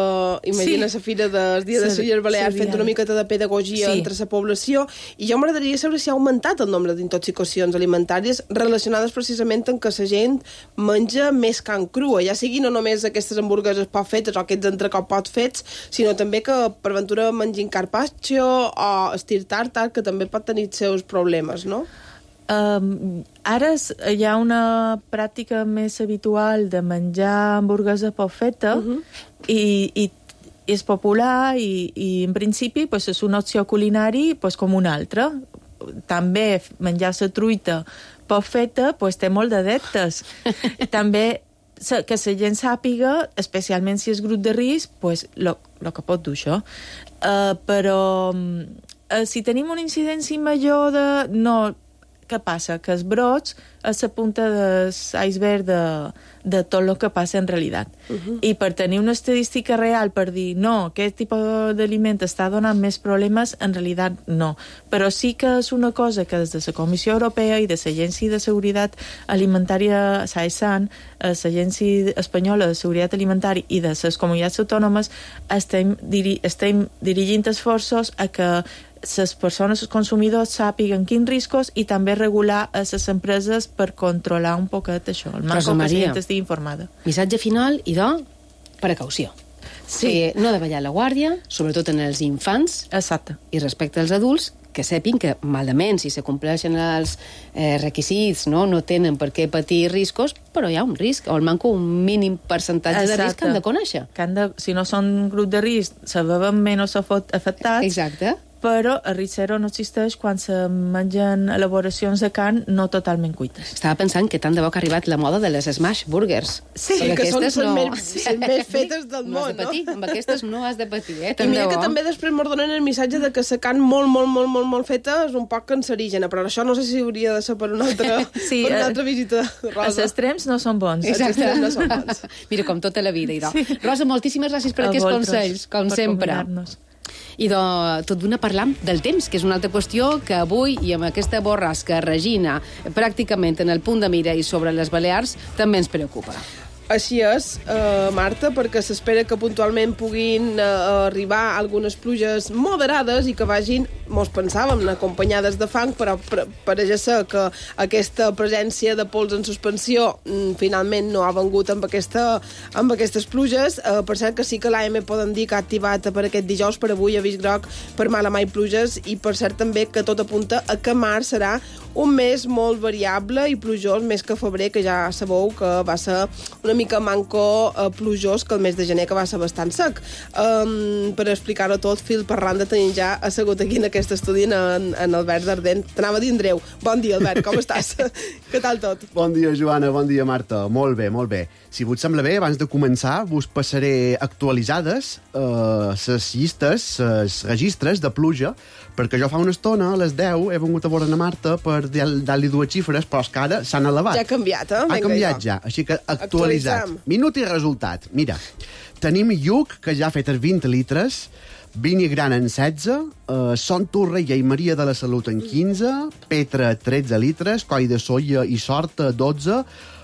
Speaker 5: imagina la fira del Dia de les Illes Balears, fent una miqueta de pedagogia sí. entre la població, i jo m'agradaria saber si ha augmentat el nombre d'intoxicacions alimentàries relacionades precisament amb que la gent menja més carn crua, ja sigui no només aquestes hamburgueses poc fetes o aquests entrecot pot fets, sinó també que per ventura mengin carpaccio o estir tartar, que també pot tenir els seus problemes, no?
Speaker 11: Um, ara hi ha una pràctica més habitual de menjar hamburguesa poc feta uh-huh. i, i és popular i, i en principi pues, és una opció culinari pues, com una altra. També menjar la truita poc feta pues, té molt d'adeptes. També que la gent sàpiga, especialment si és grup de risc, pues, lo, lo que pot dur això. Uh, però uh, si tenim una incidència major de... No, què passa? Que els brots és la punta de l'iceberg de, de tot el que passa en realitat. Uh-huh. I per tenir una estadística real, per dir, no, aquest tipus d'aliment està donant més problemes, en realitat no. Però sí que és una cosa que des de la Comissió Europea i de l'Agència de Seguretat Alimentària SAESAN, l'Agència Espanyola de Seguretat Alimentària i de les comunitats autònomes estem, diri, estem dirigint esforços a que les persones, els consumidors, sàpiguen quins riscos i també regular a les empreses per controlar un poquet això. El manco que la gent estigui informada.
Speaker 2: Missatge final, i de precaució. Sí. Eh, no davallar la guàrdia, sobretot en els infants.
Speaker 11: Exacte.
Speaker 2: I respecte als adults, que sepin que malament, si se compleixen els eh, requisits, no, no tenen per què patir riscos, però hi ha un risc, o almenys un mínim percentatge Exacte. de risc que han de conèixer.
Speaker 11: Que han de, si no són grup de risc, se veuen menys afectats.
Speaker 2: Exacte.
Speaker 11: Però el risc zero no existeix quan se mengen elaboracions de carn no totalment cuites.
Speaker 2: Estava pensant que tant de bo que ha arribat la moda de les smash burgers.
Speaker 5: Sí, que són les no... més, sí. més fetes del
Speaker 2: no
Speaker 5: món,
Speaker 2: has de patir.
Speaker 5: no?
Speaker 2: Amb aquestes no has de patir, eh?
Speaker 5: I mira que també després m'ho donen el missatge de que la carn molt, molt, molt, molt, molt feta és un poc cancerígena, però això no sé si hauria de ser per una altra, sí, per una altra visita, Rosa.
Speaker 11: Els extrems no són bons.
Speaker 2: Exacte.
Speaker 5: Els extrems no són bons.
Speaker 2: Mira, com tota la vida, idò. Sí. Rosa, moltíssimes gràcies per A aquests vosaltres, consells, com sempre. I de, tot d'una parlam del temps, que és una altra qüestió que avui, i amb aquesta borrasca Regina, pràcticament en el punt de mira i sobre les Balears, també ens preocupa.
Speaker 5: Així és, eh, Marta, perquè s'espera que puntualment puguin eh, arribar algunes pluges moderades i que vagin, mos pensàvem, acompanyades de fang, però pareix ser que aquesta presència de pols en suspensió mm, finalment no ha vengut amb, aquesta, amb aquestes pluges. Eh, per cert que sí que l'A M poden dir que ha activat per aquest dijous, per avui, avís groc per mala mai pluges, i per cert també que tot apunta a que març serà un mes molt variable i plujós, més que febrer, que ja sabeu que va ser una mica manco eh, plujós que el mes de gener, que va ser bastant sec. Um, per explicar-ho tot, fil per randa, tenim ja assegut aquí en aquest estudi en, en Albert Dardent. T'anava a dir Andreu. Bon dia, Albert, com estàs? Què tal tot?
Speaker 16: Bon dia, Joana, bon dia, Marta. Molt bé, molt bé. Si vos sembla bé, abans de començar, vos passaré actualitzades les eh, llistes, els registres de pluja, perquè jo fa una estona, a les deu, he vengut a veure a Marta per dar-li dues xifres, però és que ara s'han elevat.
Speaker 5: Ja ha canviat, eh?
Speaker 16: Ha canviat ja, així que actualitzat. Minut i resultat. Mira, tenim Lluc, que ja ha fet els vint litres, Vinyigran en setze, eh, Son Torrella i Maria de la Salut en quinze, Petra tretze litres, Coll de Solla i Sorta dotze,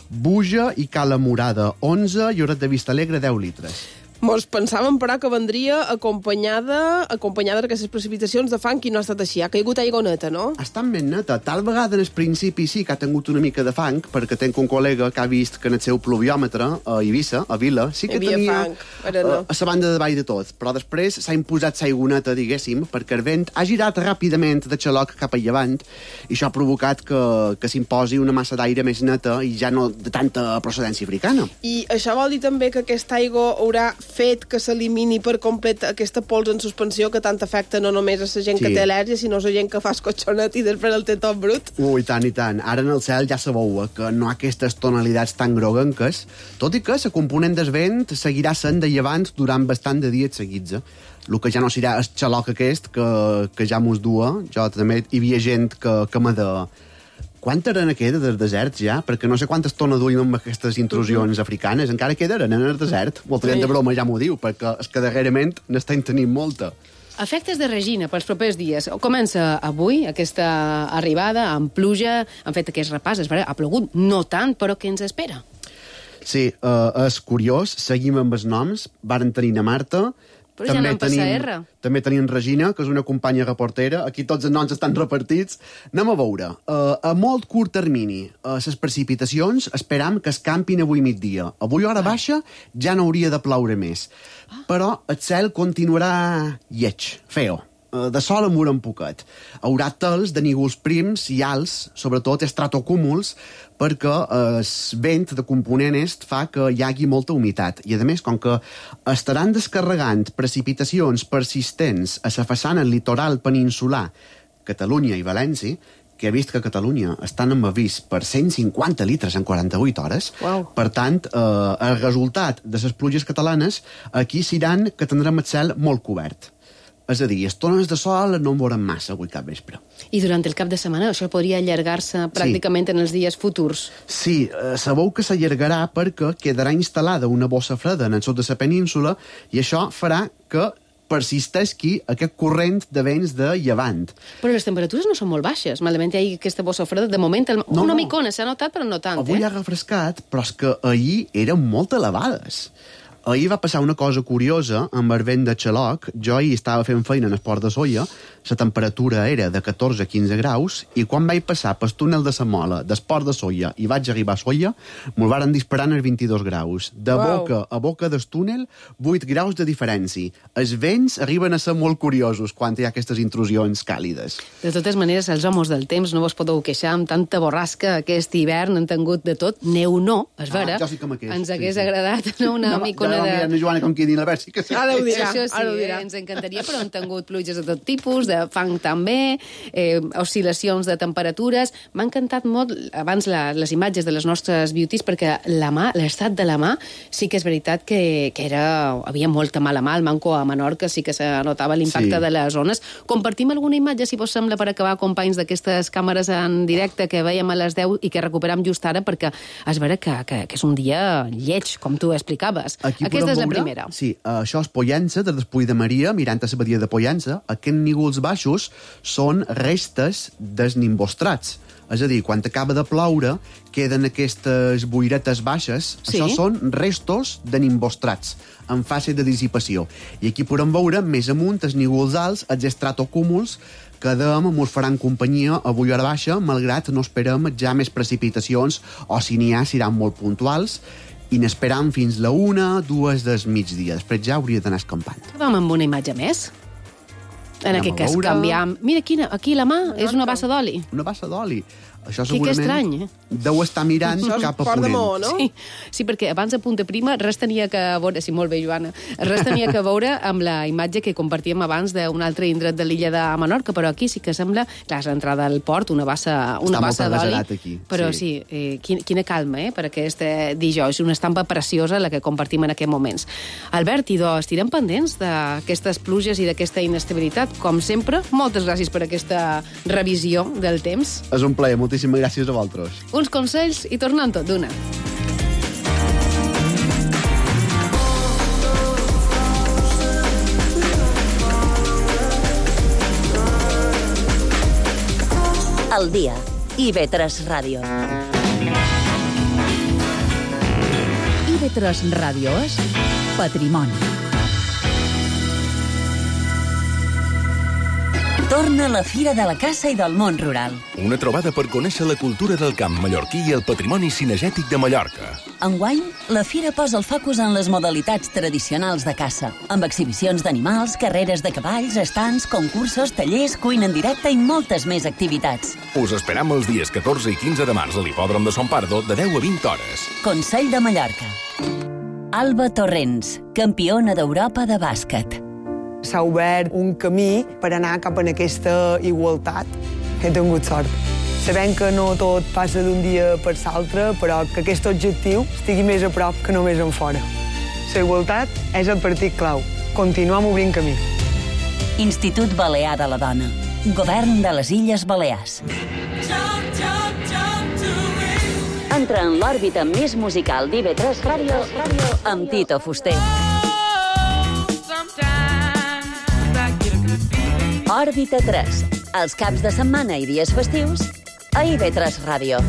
Speaker 16: Buja i Cala Morada onze i Lloret de Vistalegre deu litres.
Speaker 5: Mos pensàvem, però, que vendria acompanyada acompanyada d'aquestes precipitacions de fang, i no ha estat així. Ha caigut aigua neta, no?
Speaker 16: Ha estat ben neta. Tal vegada, en el principi, sí que ha tingut una mica de fang, perquè tenc un col·lega que ha vist que en el seu pluviòmetre a Eivissa, a Vila, sí que tenia
Speaker 5: fang, però no.
Speaker 16: a la banda de baix de tot. Però després s'ha imposat l'aigua neta, diguéssim, perquè el vent ha girat ràpidament de xaloc cap a llevant, i això ha provocat que, que s'imposi una massa d'aire més neta i ja no de tanta procedència africana.
Speaker 5: I això vol dir també que aquesta aigua haurà fet que s'elimini per complet aquesta pols en suspensió que tant afecta no només a la gent sí. que té al·lèrgia, sinó a la gent que fa escotxonet i després el té tot brut.
Speaker 16: Ui, tant i tant. Ara en el cel ja sabeu que no hi ha aquestes tonalitats tan groguenques, tot i que la component del vent seguirà sent de llevant durant bastant de dies seguits. Eh? El que ja no serà el xaloc aquest que, que ja mos dua. Jo també hi havia gent que, que m'ha de... Quanta arena queda dels deserts ja? Perquè no sé quantes tones duim amb aquestes intrusions uh-huh. africanes. Encara queda arena en el desert. Molta gent de broma ja m'ho diu, perquè és que darrerament n'estem tenint molta.
Speaker 2: Efectes de Regina pels propers dies. Comença avui aquesta arribada amb pluja, han fet aquest repàs, és vera, ha plogut, no tant, però què ens espera?
Speaker 16: Sí, uh, és curiós, seguim amb els noms, varen tenir a Marta,
Speaker 2: però ja n'han passat R.
Speaker 16: També tenim Regina, que és una companya reportera. Aquí tots els noms estan repartits. Anem a veure. Uh, a molt curt termini, uh, les precipitacions esperam que escampin avui migdia. Avui hora baixa ja no hauria de ploure més. Però el cel continuarà lleig, feo. Uh, de sol en veurem poquet. Haurà tals de nígols prims i alts, sobretot estratocúmuls, perquè el vent de component est fa que hi hagi molta humitat. I, a més, com que estaran descarregant precipitacions persistents a la façana litoral peninsular, Catalunya i València, que he vist que a Catalunya estan amb avís per cent cinquanta litres en quaranta-vuit hores.
Speaker 2: Wow.
Speaker 16: Per tant, eh, el resultat de les pluges catalanes aquí seran que tindrem el cel molt cobert. És a dir, estones de sol no en veurem massa avui cap vespre.
Speaker 2: I durant el cap de setmana això podria allargar-se pràcticament sí. en els dies futurs.
Speaker 16: Sí, eh, sabeu que s'allargarà perquè quedarà instal·lada una bossa freda en el sud de la península i això farà que persisteixi aquest corrent de vents de llevant.
Speaker 2: Però les temperatures no són molt baixes. Malament hi ha aquesta bossa freda. De moment, el... no, una
Speaker 16: no.
Speaker 2: micona s'ha notat, però no tant.
Speaker 16: Avui
Speaker 2: eh?
Speaker 16: ha refrescat, però és que ahir eren molt elevades. Ahir va passar una cosa curiosa amb el vent de Xaloc. Jo ahir estava fent feina en el port de Solla, la temperatura era de catorze a quinze graus, i quan vaig passar pel túnel de la Mola, del port de Solla, i vaig arribar a Solla, me'l varen disparar en els vint-i-dos graus. De wow. boca a boca del túnel, vuit graus de diferència. Els vents arriben a ser molt curiosos quan hi ha aquestes intrusions càlides.
Speaker 2: De totes maneres, els homes del temps no vos podeu queixar amb tanta borrasca. Aquest hivern han tingut de tot. Neu no, és vera.
Speaker 16: Ah, jo sí que m'aqueix.
Speaker 2: Ens hagués
Speaker 16: sí, sí.
Speaker 2: agradat no, una
Speaker 16: no,
Speaker 2: micona de...
Speaker 16: No, Joana, com qui diu la versi, que sí.
Speaker 5: Ara ho dirà,
Speaker 2: Això sí,
Speaker 5: ara ho dirà.
Speaker 2: Eh, ens encantaria, però han tingut pluges de tot tipus, de fang també, eh, oscil·lacions de temperatures. M'ha encantat molt abans la, les imatges de les nostres beauties, perquè la mà, l'estat de la mà, sí que és veritat que, que era, havia molta mala mà. Al Manco a Menorca sí que se notava l'impacte
Speaker 16: Sí.
Speaker 2: de les zones. Compartim alguna imatge, si vos sembla, per acabar, companys, d'aquestes càmeres en directe que veiem a les deu i que recuperam just ara, perquè és vera que, que, que és un dia lleig, com tu explicaves.
Speaker 16: Aquí
Speaker 2: Aquesta és la
Speaker 16: veure,
Speaker 2: primera.
Speaker 16: Sí, uh, això és Pollença, des del Puig de Maria, mirant a la badia de Pollença. Aquests nígols baixos són restes dels nimbostrats. És a dir, quan acaba de ploure, queden aquestes boiretes baixes.
Speaker 2: Sí.
Speaker 16: Això són restos de nimbostrats, en fase de dissipació. I aquí podem veure, més amunt, els nígols alts, els estratocúmuls, que dèiem mos faran companyia avui a la baixa, malgrat no esperem ja més precipitacions, o si n'hi ha, seran molt puntuals, i n'esperam fins la una, dues del migdia. Després ja hauria d'anar escampant.
Speaker 2: Vam amb una imatge més. En
Speaker 16: Anem
Speaker 2: aquest
Speaker 16: a
Speaker 2: cas
Speaker 16: veure.
Speaker 2: canviam... Mira, quina, aquí la mà és una bassa d'oli.
Speaker 16: Una bassa d'oli. Això
Speaker 2: Que- que
Speaker 16: segurament
Speaker 2: estrany, eh?
Speaker 16: deu estar mirant
Speaker 5: Això és
Speaker 16: cap a
Speaker 5: Port de
Speaker 16: ponent.
Speaker 5: Maó, no?
Speaker 2: Sí, sí, perquè abans a Punta Prima res tenia que veure... Sí, molt bé, Joana. Res tenia que veure amb la imatge que compartíem abans d'un altre indret de l'illa de Menorca, però aquí sí que sembla... Clar, és l'entrada al port, una bassa, una
Speaker 16: Està
Speaker 2: bassa
Speaker 16: molt
Speaker 2: d'oli.
Speaker 16: abasarat aquí,
Speaker 2: Però
Speaker 16: sí.
Speaker 2: sí, eh, quina, quina calma, eh?, per aquest eh, dijous. Una estampa preciosa la que compartim en aquests moments. Albert, idò, estirem pendents d'aquestes pluges i d'aquesta inestabilitat. Com sempre, moltes gràcies per aquesta revisió del temps.
Speaker 16: És un plaer, moltíssimes gràcies a vosaltres.
Speaker 2: Uns consells i tornem tot d'una.
Speaker 4: Al dia. I ve tres Ràdio.
Speaker 3: I ve tres Ràdio és Patrimoni.
Speaker 17: Torna la Fira de la Caça i del Món Rural.
Speaker 18: Una trobada per conèixer la cultura del camp mallorquí i el patrimoni cinegètic de Mallorca.
Speaker 17: Enguany, la Fira posa el focus en les modalitats tradicionals de caça, amb exhibicions d'animals, carreres de cavalls, estants, concursos, tallers, cuina en directe i moltes més activitats.
Speaker 18: Us esperam els dies catorze i quinze de març a l'hipòdrom de Son Pardo de deu a vint hores.
Speaker 17: Consell de Mallorca. Alba Torrents, campiona d'Europa de bàsquet.
Speaker 19: S'ha obert un camí per anar cap a aquesta igualtat. He tingut sort. Sabem que no tot passa d'un dia per l'altre, però que aquest objectiu estigui més a prop que només en fora. La igualtat és el partit clau. Continuem obrint camí.
Speaker 17: Institut Balear de la Dona. Govern de les Illes Balears.
Speaker 4: Entra en l'òrbita més musical d'I V tres Ràdio amb Tito Fuster.
Speaker 17: Òrbita tres, els caps de setmana i dies festius, a I V tres Ràdio.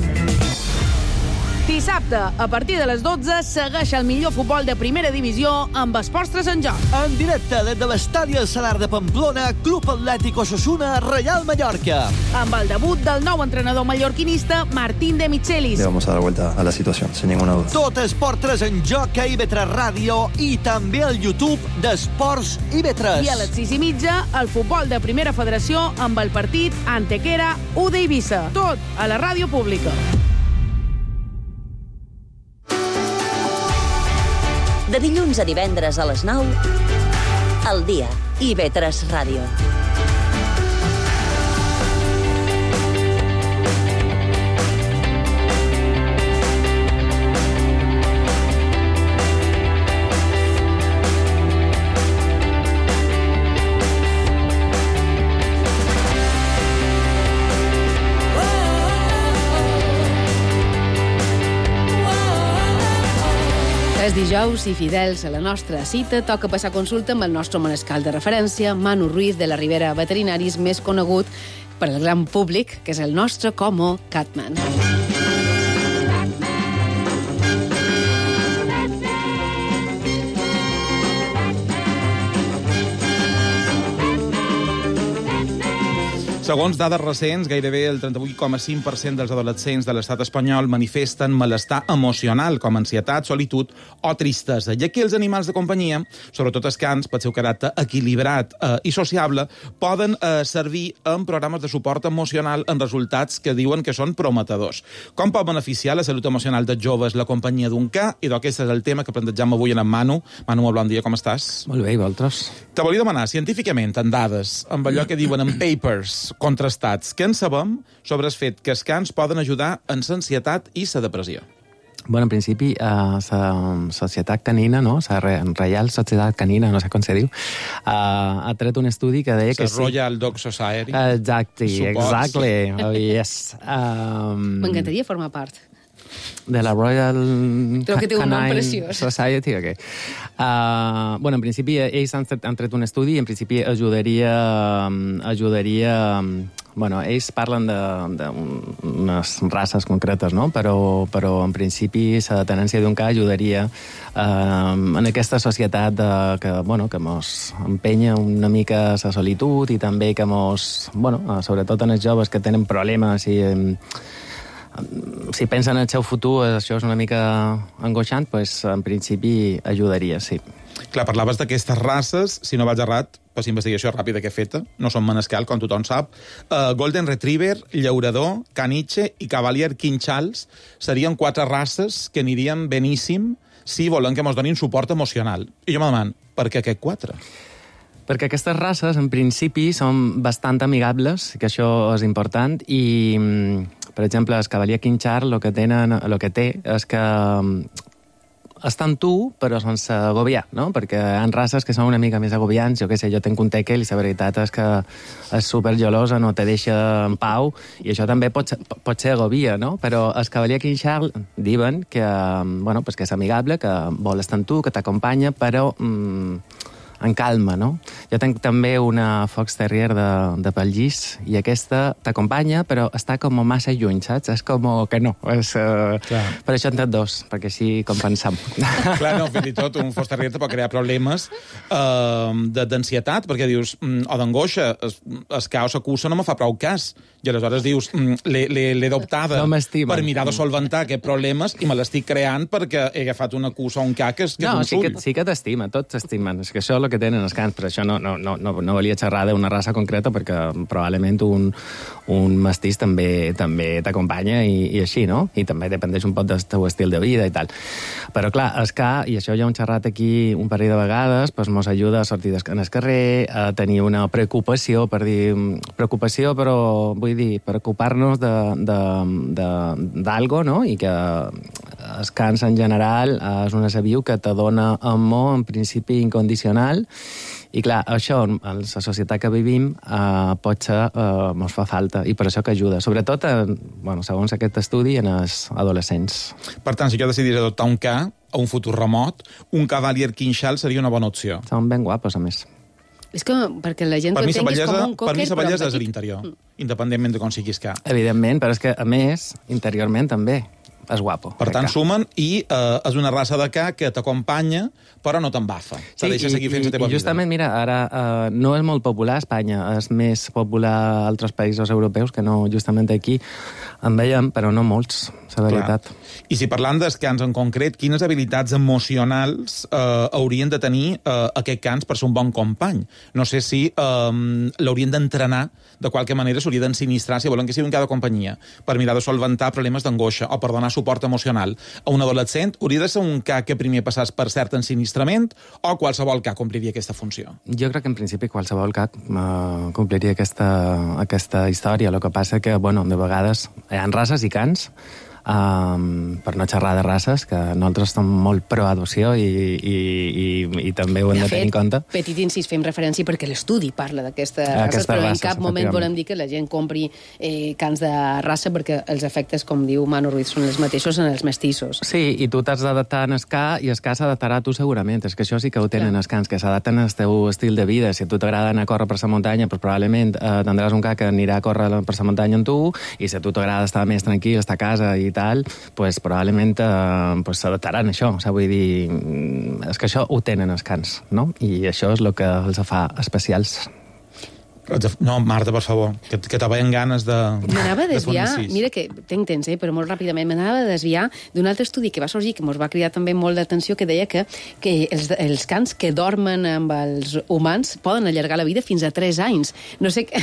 Speaker 20: Dissabte, a partir de les dotze, segueix el millor futbol de primera divisió amb Esports tres en joc.
Speaker 21: En directe des de l'estadi El Salar de Pamplona, Club Atlètic Osasuna, Real Mallorca.
Speaker 20: Amb el debut del nou entrenador mallorquinista, Martín de Michelis.
Speaker 22: Le vamos a dar vuelta a la situación, sin ninguna duda.
Speaker 21: Tot Esports tres en joc a I V tres Ràdio i també al YouTube d'Esports I V tres.
Speaker 20: I a les sis i mitja, el futbol de primera federació amb el partit Antequera U de Eivissa. Tot a la ràdio pública.
Speaker 4: De dilluns a divendres a les nou, al dia, I V tres Ràdio.
Speaker 2: És dijous i fidels a la nostra cita toca passar consulta amb el nostre manescal de referència, Manu Ruiz de la Ribera Veterinaris, més conegut per al gran públic, que és el nostre Como Catman.
Speaker 23: Segons dades recents, gairebé el trenta-vuit coma cinc per cent dels adolescents de l'estat espanyol manifesten malestar emocional, com ansietat, solitud o tristesa. I aquí els animals de companyia, sobretot els cans, pel seu caràcter equilibrat eh, i sociable, poden eh, servir en programes de suport emocional en resultats que diuen que són prometedors. Com pot beneficiar la salut emocional dels joves la companyia d'un ca? I d'aquest és el tema que plantegem avui en Manu. Manu, molt bon dia, com estàs?
Speaker 24: Molt bé, i vosaltres?
Speaker 23: Te volia demanar, científicament, en dades, amb allò que diuen en papers contrastats, què en sabem sobre el fet que els cans poden ajudar en l'ansietat i la depressió?
Speaker 24: Bueno, en principi, la uh, Societat Canina, no? La Reial Societat Canina, no sé com se diu, uh, ha tret un estudi que deia que sí.
Speaker 23: La Royal Dog Society.
Speaker 24: Exactly, exactly. Oh, yes. Um...
Speaker 2: M'encantaria formar part.
Speaker 24: De la Royal
Speaker 2: Creo que té un nom
Speaker 24: Canine
Speaker 2: preciós.
Speaker 24: Society, ok. Uh, bueno, en principi, ells han tret, han tret un estudi i en principi ajudaria... ajudaria bueno, ells parlen d'unes races concretes, no? Però, però en principi la tenència d'un ca ajudaria uh, en aquesta societat de, que, bueno, que mos empenya una mica la solitud i també que mos, bueno, sobretot en els joves que tenen problemes i... si pensen en el seu futur, això és una mica angoixant, doncs en principi ajudaria, sí.
Speaker 23: Clar, parlaves d'aquestes races, si no vaig errat, per investigació ràpida que he feta, no són manescal, com tothom sap, uh, Golden Retriever, Llaurador, Caniche i Cavalier King Charles serien quatre races que anirien beníssim si volen que mos donin suport emocional. I jo me demano, per què aquests quatre?
Speaker 24: Perquè aquestes races, en principi, són bastant amigables, que això és important, i, per exemple, el Cavalier King Charles el que, tenen, el que té és que estan tu, però sense agobiar, no? Perquè hi ha races que són una mica més agobiants. Jo què sé, jo tenc un tekel i la veritat és que és supergelosa, no te deixa en pau, i això també pot ser, pot ser agobia, no? Però el Cavalier King Charles diuen que, bueno, pues que és amigable, que vol estar amb tu, que t'acompanya, però... Mm, en calma, no? Jo tenc també una Fox Terrier de, de pel llis i aquesta t'acompanya, però està com massa lluny, saps? És com que no. És, uh... Per això en té dos, perquè així compensam.
Speaker 23: Clar, no, fins i tot un Fox Terrier te pot crear problemes uh, d'ansietat, perquè dius, mm, o d'angoixa, es, es cau sa cursa no me fa prou cas. I aleshores dius, mm, l'he adoptada
Speaker 24: no
Speaker 23: per mirar de solventar aquests problemes i me l'estic creant perquè he agafat una cursa o un ca que és, que
Speaker 24: no,
Speaker 23: és un
Speaker 24: sí
Speaker 23: sull.
Speaker 24: Que, sí que t'estima, tots t'estimen. És que això és el que tenen els cans, però això no, no, no, no, no valia xerrar d'una raça concreta perquè probablement un, un mestís també també t'acompanya i, i així, no? I també dependeix un poc del teu estil de vida i tal. Però clar, el ca, i això ja ho hem xerrat aquí un parell de vegades, doncs mos ajuda a sortir en el carrer, a tenir una preocupació, per dir, preocupació, però vull dir, preocupar-nos d'algo, no? I que els cans en general és una sabiu que te dona amor en principi incondicional i clar, això en la societat que vivim eh, potser eh, ens fa falta i per això que ajuda, sobretot en, bueno, segons aquest estudi en els adolescents.
Speaker 23: Per tant, si jo decidís adoptar un ca a un futur remot, un Cavalier King Charles seria una bona opció.
Speaker 24: Són ben guapos, a més.
Speaker 2: És que perquè la gent
Speaker 23: Per
Speaker 2: ho
Speaker 23: mi, la
Speaker 2: entenguis com
Speaker 23: bellesa,
Speaker 2: un
Speaker 23: per
Speaker 2: cocker,
Speaker 23: mi la
Speaker 2: però
Speaker 23: bellesa és
Speaker 2: petit.
Speaker 23: l'interior, independentment de com siguis cap.
Speaker 24: Evidentment, però és que, a més, interiorment també és guapo.
Speaker 23: Per tant, sumen, i eh, és una raça de ca que t'acompanya, però no t'embafa.
Speaker 24: Sí,
Speaker 23: Te deixa
Speaker 24: i,
Speaker 23: seguir fent la
Speaker 24: i,
Speaker 23: teva
Speaker 24: i justament,
Speaker 23: vida.
Speaker 24: mira, ara eh, no és molt popular a Espanya, és més popular a altres països europeus que no justament aquí. En veiem, però no molts, la veritat.
Speaker 23: Clar. I si parlant dels cans en concret, quines habilitats emocionals eh, haurien de tenir eh, aquest cans per ser un bon company? No sé si eh, l'haurien d'entrenar, de qualque manera s'hauria d'ensinistrar, si volen que sigui un ca de companyia, per mirar de solventar problemes d'angoixa o per donar suport emocional. A un adolescent hauria de ser un ca que primer passés per cert ensinistrament o qualsevol ca compliria aquesta funció?
Speaker 24: Jo crec que en principi qualsevol cap uh, compliria aquesta, aquesta història. El que passa que, bueno, de vegades hi ha races i cans, um, per no xerrar de races, que nosaltres som molt pro-adopció i, i, i, i també ho hem de, de tenir en compte.
Speaker 2: Petit incís, fem referència perquè l'estudi parla d'aquestes races,
Speaker 24: Aquestes
Speaker 2: però
Speaker 24: races,
Speaker 2: en cap moment volem dir que la gent compri eh, cans de raça perquè els efectes, com diu Manu Ruiz, són els mateixos en els mestissos.
Speaker 24: Sí, i tu t'has d'adaptar en el ca i el ca s'adaptarà a tu segurament. És que això sí que ho tenen els cans, que s'adapten al teu estil de vida. Si a tu t'agrada anar a córrer per la muntanya, doncs probablement eh, tindràs un ca que anirà a córrer per la muntanya amb tu, i si a tu t'agrada estar més tranquil, estar a casa i tal, pues, probablement eh, pues, s'adaptaran a això. O sigui, vull dir, és que això ho tenen els cans, no? I això és el que els fa especials.
Speaker 23: No, Marta, per favor, que, que te veien ganes de...
Speaker 2: M'anava a desviar,
Speaker 23: de
Speaker 2: mira que tenc temps, eh, però molt ràpidament, m'anava a desviar d'un altre estudi que va sorgir, que ens va cridar també molt d'atenció, que deia que, que els, els cans que dormen amb els humans poden allargar la vida fins a tres anys. No sé què...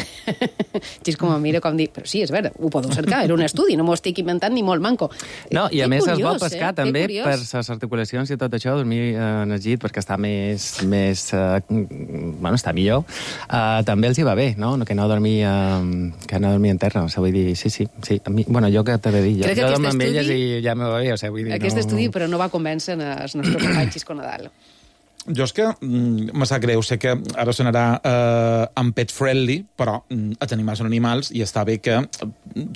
Speaker 2: Gis com a mira, com dir, però sí, és vera, ho podeu cercar, era un estudi, no m'ho estic inventant ni molt manco.
Speaker 24: No, i a
Speaker 2: que
Speaker 24: més
Speaker 2: curiós,
Speaker 24: es vol pescar
Speaker 2: eh?
Speaker 24: també per les articulacions i tot això, dormir eh, en el llit perquè està més... més eh, bueno, està millor. Uh, també els hi va bé, no? Que no dormir, uh, que no dormir en terra. O sigui, vull dir, sí, sí. sí. A mi, bueno, jo què t'he de dir? Jo, jo dormo amb elles i ja me va bé. O sigui, vull dir,
Speaker 2: aquest
Speaker 24: no...
Speaker 2: estudi, però no va convèncer els nostres companys Xisco Nadal.
Speaker 23: Jo és que mm, me sap greu, sé que ara sonarà eh, en pet friendly, però mm, els animals són animals i està bé que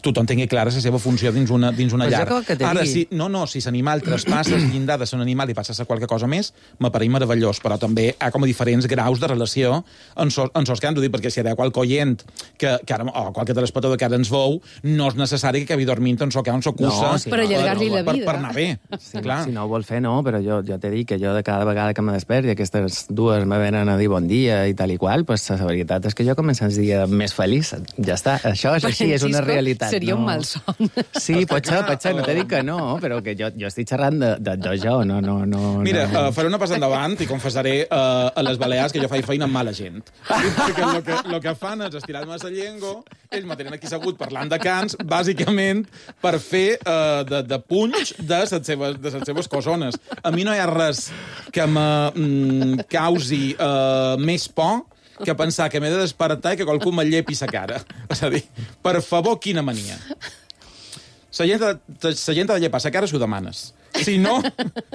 Speaker 23: tothom tingui clara la seva funció dins una, dins una llar. Ara, si, no, no, si l'animal traspassa el llindar de ser un animal i passa a ser qualque cosa més, m'apareix meravellós, però també hi ha com a diferents graus de relació en sos, en sos que han de dir, perquè si hi ha qualque oient que, que ara, o qualque telespectador que ara ens veu, no és necessari que acabi dormint en so que on s'ocusa
Speaker 24: no, sí,
Speaker 2: per allargar-li la vida.
Speaker 23: Per, per anar bé.
Speaker 24: Sí,
Speaker 23: clar.
Speaker 24: Si no ho vol fer, no, però jo, jo t'he dit que jo de cada vegada que me despert i aquestes dues me venen a dir bon dia i tal i qual, pues la veritat és que jo començo el dia més feliç. Ja està, això és així, és una realitat.
Speaker 2: Seria
Speaker 24: no?
Speaker 2: un malson.
Speaker 24: Sí, pot ser, pot ser, no t'he dit que no, però que jo, jo estic xerrant de, de, de jo, no, no, no.
Speaker 23: Mira,
Speaker 24: no.
Speaker 23: Uh, faré una passa endavant i confessaré uh, a les Balears que jo faig feina amb mala gent. Perquè el que, lo que fan és estirar-me la llengua, ells me tenen aquí segut parlant de cans, bàsicament per fer uh, de, de punys de les seves, de les seves cosones. A mi no hi ha res que me mm, causi uh, més por que pensar que m'he de despertar i que qualcú me llepi sa cara. És a dir, per favor, quina mania. La gent, la gent ha de llepar sa cara si ho demanes. Si no,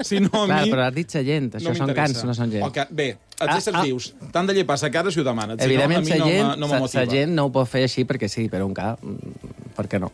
Speaker 23: si no a
Speaker 24: Clar,
Speaker 23: mi...
Speaker 24: però has dit sa gent, això
Speaker 23: no
Speaker 24: són cans, no són gent.
Speaker 23: Okay, bé, els ah, éssers ah. vius t'han de llepar sa cara si ho demanes.
Speaker 24: Evidentment,
Speaker 23: si no, a mi
Speaker 24: gent,
Speaker 23: no, no me motiva.
Speaker 24: sa gent no ho pot fer així perquè sí, però un cap, per què no?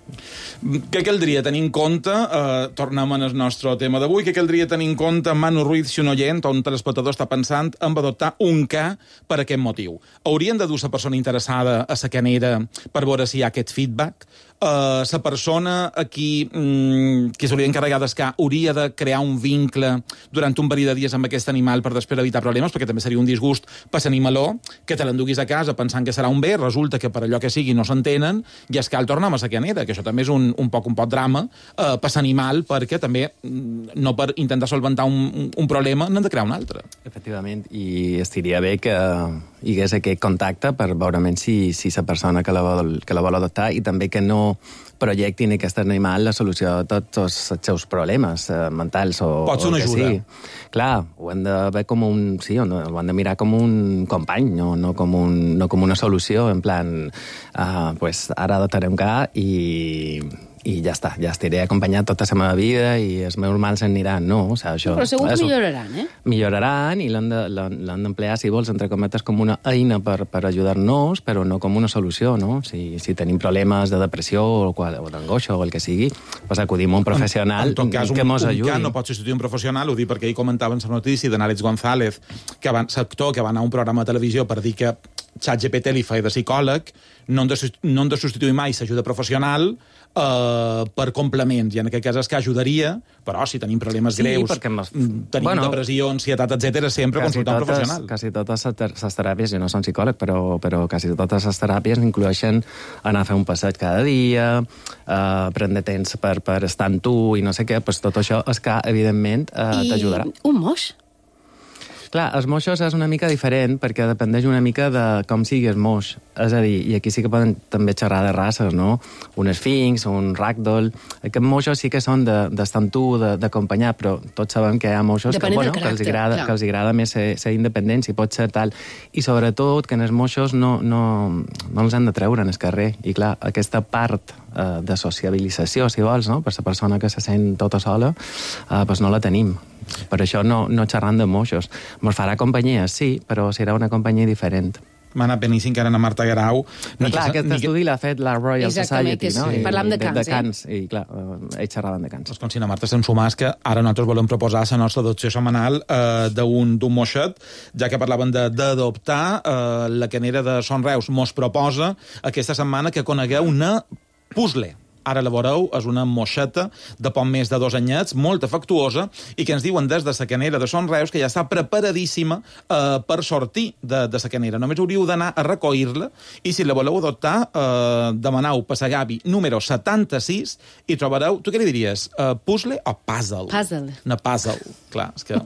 Speaker 23: Què caldria tenir en compte, eh, tornem al nostre tema d'avui, què caldria tenir en compte, Manu Ruiz, si un oient o un telespectador està pensant en adoptar un ca per aquest motiu? Haurien de dur la persona interessada a la canera per veure si hi ha aquest feedback? Uh, la persona a qui mm, que s'hauria d'encarregar d'escar hauria de crear un vincle durant un període de dies amb aquest animal per després evitar problemes, perquè també seria un disgust per l'animaló que te l'enduguis a casa pensant que serà un bé, resulta que per allò que sigui no s'entenen i es cal tornar a la canera, que això també és un, un poc un poc drama uh, per l'animal, perquè també mm, no per intentar solventar un, un problema n'han de crear un altre.
Speaker 24: Efectivament, i estaria bé que hi hagués aquest contacte per veure si, si la persona que la, vol, que la vol adoptar i també que no projectin aquest animal la solució a tots els seus problemes eh, mentals o,
Speaker 23: Pot ser una
Speaker 24: o que
Speaker 23: ajuda.
Speaker 24: sí. Clar, ho han de ver com un... Sí, ho han de mirar com un company, no, no, com, un, no com una solució, en plan, uh, pues ara adoptarem ca i, i ja està, ja estiré acompanyat tota la meva vida i els meus mals s'aniran, no? O sigui, això,
Speaker 2: però segur que
Speaker 24: això,
Speaker 2: milloraran, eh?
Speaker 24: Milloraran i l'han d'emplear, si vols, entre cometes, com una eina per, per ajudar-nos, però no com una solució, no? Si, si tenim problemes de depressió o, o d'angoixa o el que sigui, pues acudim a un professional
Speaker 23: en, en tot cas,
Speaker 24: que mos ajudi.
Speaker 23: Un cas no pot substituir un professional, ho dic perquè ahir comentaven la notícia d'en Àlex González, que va, l'actor que va anar a un programa de televisió per dir que ChatGPT li feia de psicòleg, no hem de, no hem de substituir mai l'ajuda professional eh, per complements, i en aquest cas és que ajudaria, però si tenim problemes
Speaker 24: sí,
Speaker 23: greus,
Speaker 24: mes...
Speaker 23: tenim
Speaker 24: bueno,
Speaker 23: depressió, ansietat, etcètera, sempre consultar un professional.
Speaker 24: Quasi totes les teràpies, jo no soc psicòleg, però, però quasi totes les teràpies incloeixen anar a fer un passeig cada dia, eh, prendre temps per, per estar amb tu i no sé què, pues tot això és que, evidentment, eh, t'ajudarà.
Speaker 2: I un moix?
Speaker 24: Clar, els moixos és una mica diferent perquè dependeix una mica de com sigui el moix. És a dir, i aquí sí que poden també xerrar de races, no? Un esfinx, un ragdoll... Aquests moixos sí que són d'estar amb tu, d'acompanyar, però tots sabem que hi ha moixos que, bueno, que, els agrada, que els agrada més ser, ser independents i pot ser tal. I sobretot que en els moixos no, no, no els han de treure en el carrer. I clar, aquesta part eh, de sociabilització, si vols, no? Per la persona que se sent tota sola, eh, doncs no la tenim. Per això no, no xerrant de moixos. Mos farà companyia, sí, però serà una companyia diferent.
Speaker 23: M'ha anat beníssim que ara a Marta Garau...
Speaker 24: Però clar, aquest estudi l'ha fet la Royal Society, no?
Speaker 2: Sí. Parlam de cans,
Speaker 24: de cans, eh? I clar, ells xerraven de cans.
Speaker 23: Doncs com si la Marta se'n sumàs, que ara nosaltres volem proposar la nostra adopció setmanal eh, d'un moixet, ja que parlaven d'adoptar, eh, la canera de Son Reus mos proposa aquesta setmana que conegueu una puzzle. Ara la veureu, és una moixeta de poc més de dos anyets, molt afectuosa, i que ens diuen des de la canera de Son Reus que ja està preparadíssima eh, per sortir de, de la canera. Només hauríeu d'anar a recollir-la, i si la voleu adoptar, eh, demaneu per la Gavi número setanta-sis i trobareu... Tu què li diries? Eh, puzzle o puzzle?
Speaker 2: Puzzle.
Speaker 23: Una puzzle, clar, és que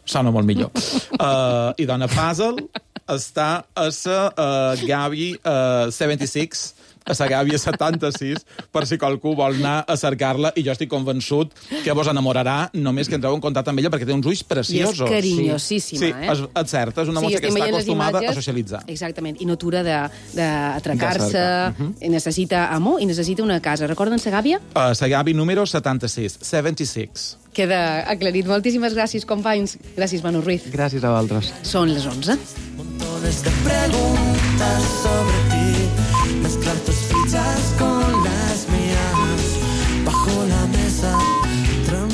Speaker 23: sona molt millor. Uh, I dona puzzle està a la uh, Gavi uh, setanta-sis, a la Gàbia setanta-sis, per si qualcú vol anar a cercar-la, i jo estic convençut que vos enamorarà només que entreu en contacte amb ella, perquè té uns ulls preciosos.
Speaker 2: I és carinyosíssima,
Speaker 23: sí.
Speaker 2: eh?
Speaker 23: Sí, és, és cert, és una
Speaker 2: sí,
Speaker 23: mossa que està acostumada
Speaker 2: imatges,
Speaker 23: a socialitzar.
Speaker 2: Exactament, i no atura d'atracar-se,
Speaker 23: uh -huh.
Speaker 2: necessita amor i necessita una casa. Recorden la Gàbia?
Speaker 23: Uh, la Gàbia número setanta-sis, setanta-sis.
Speaker 2: Queda aclarit. Moltíssimes gràcies, companys. Gràcies, Manu Ruiz.
Speaker 24: Gràcies a vosaltres.
Speaker 2: Són les onze.
Speaker 1: Montones de preguntas sobre ti.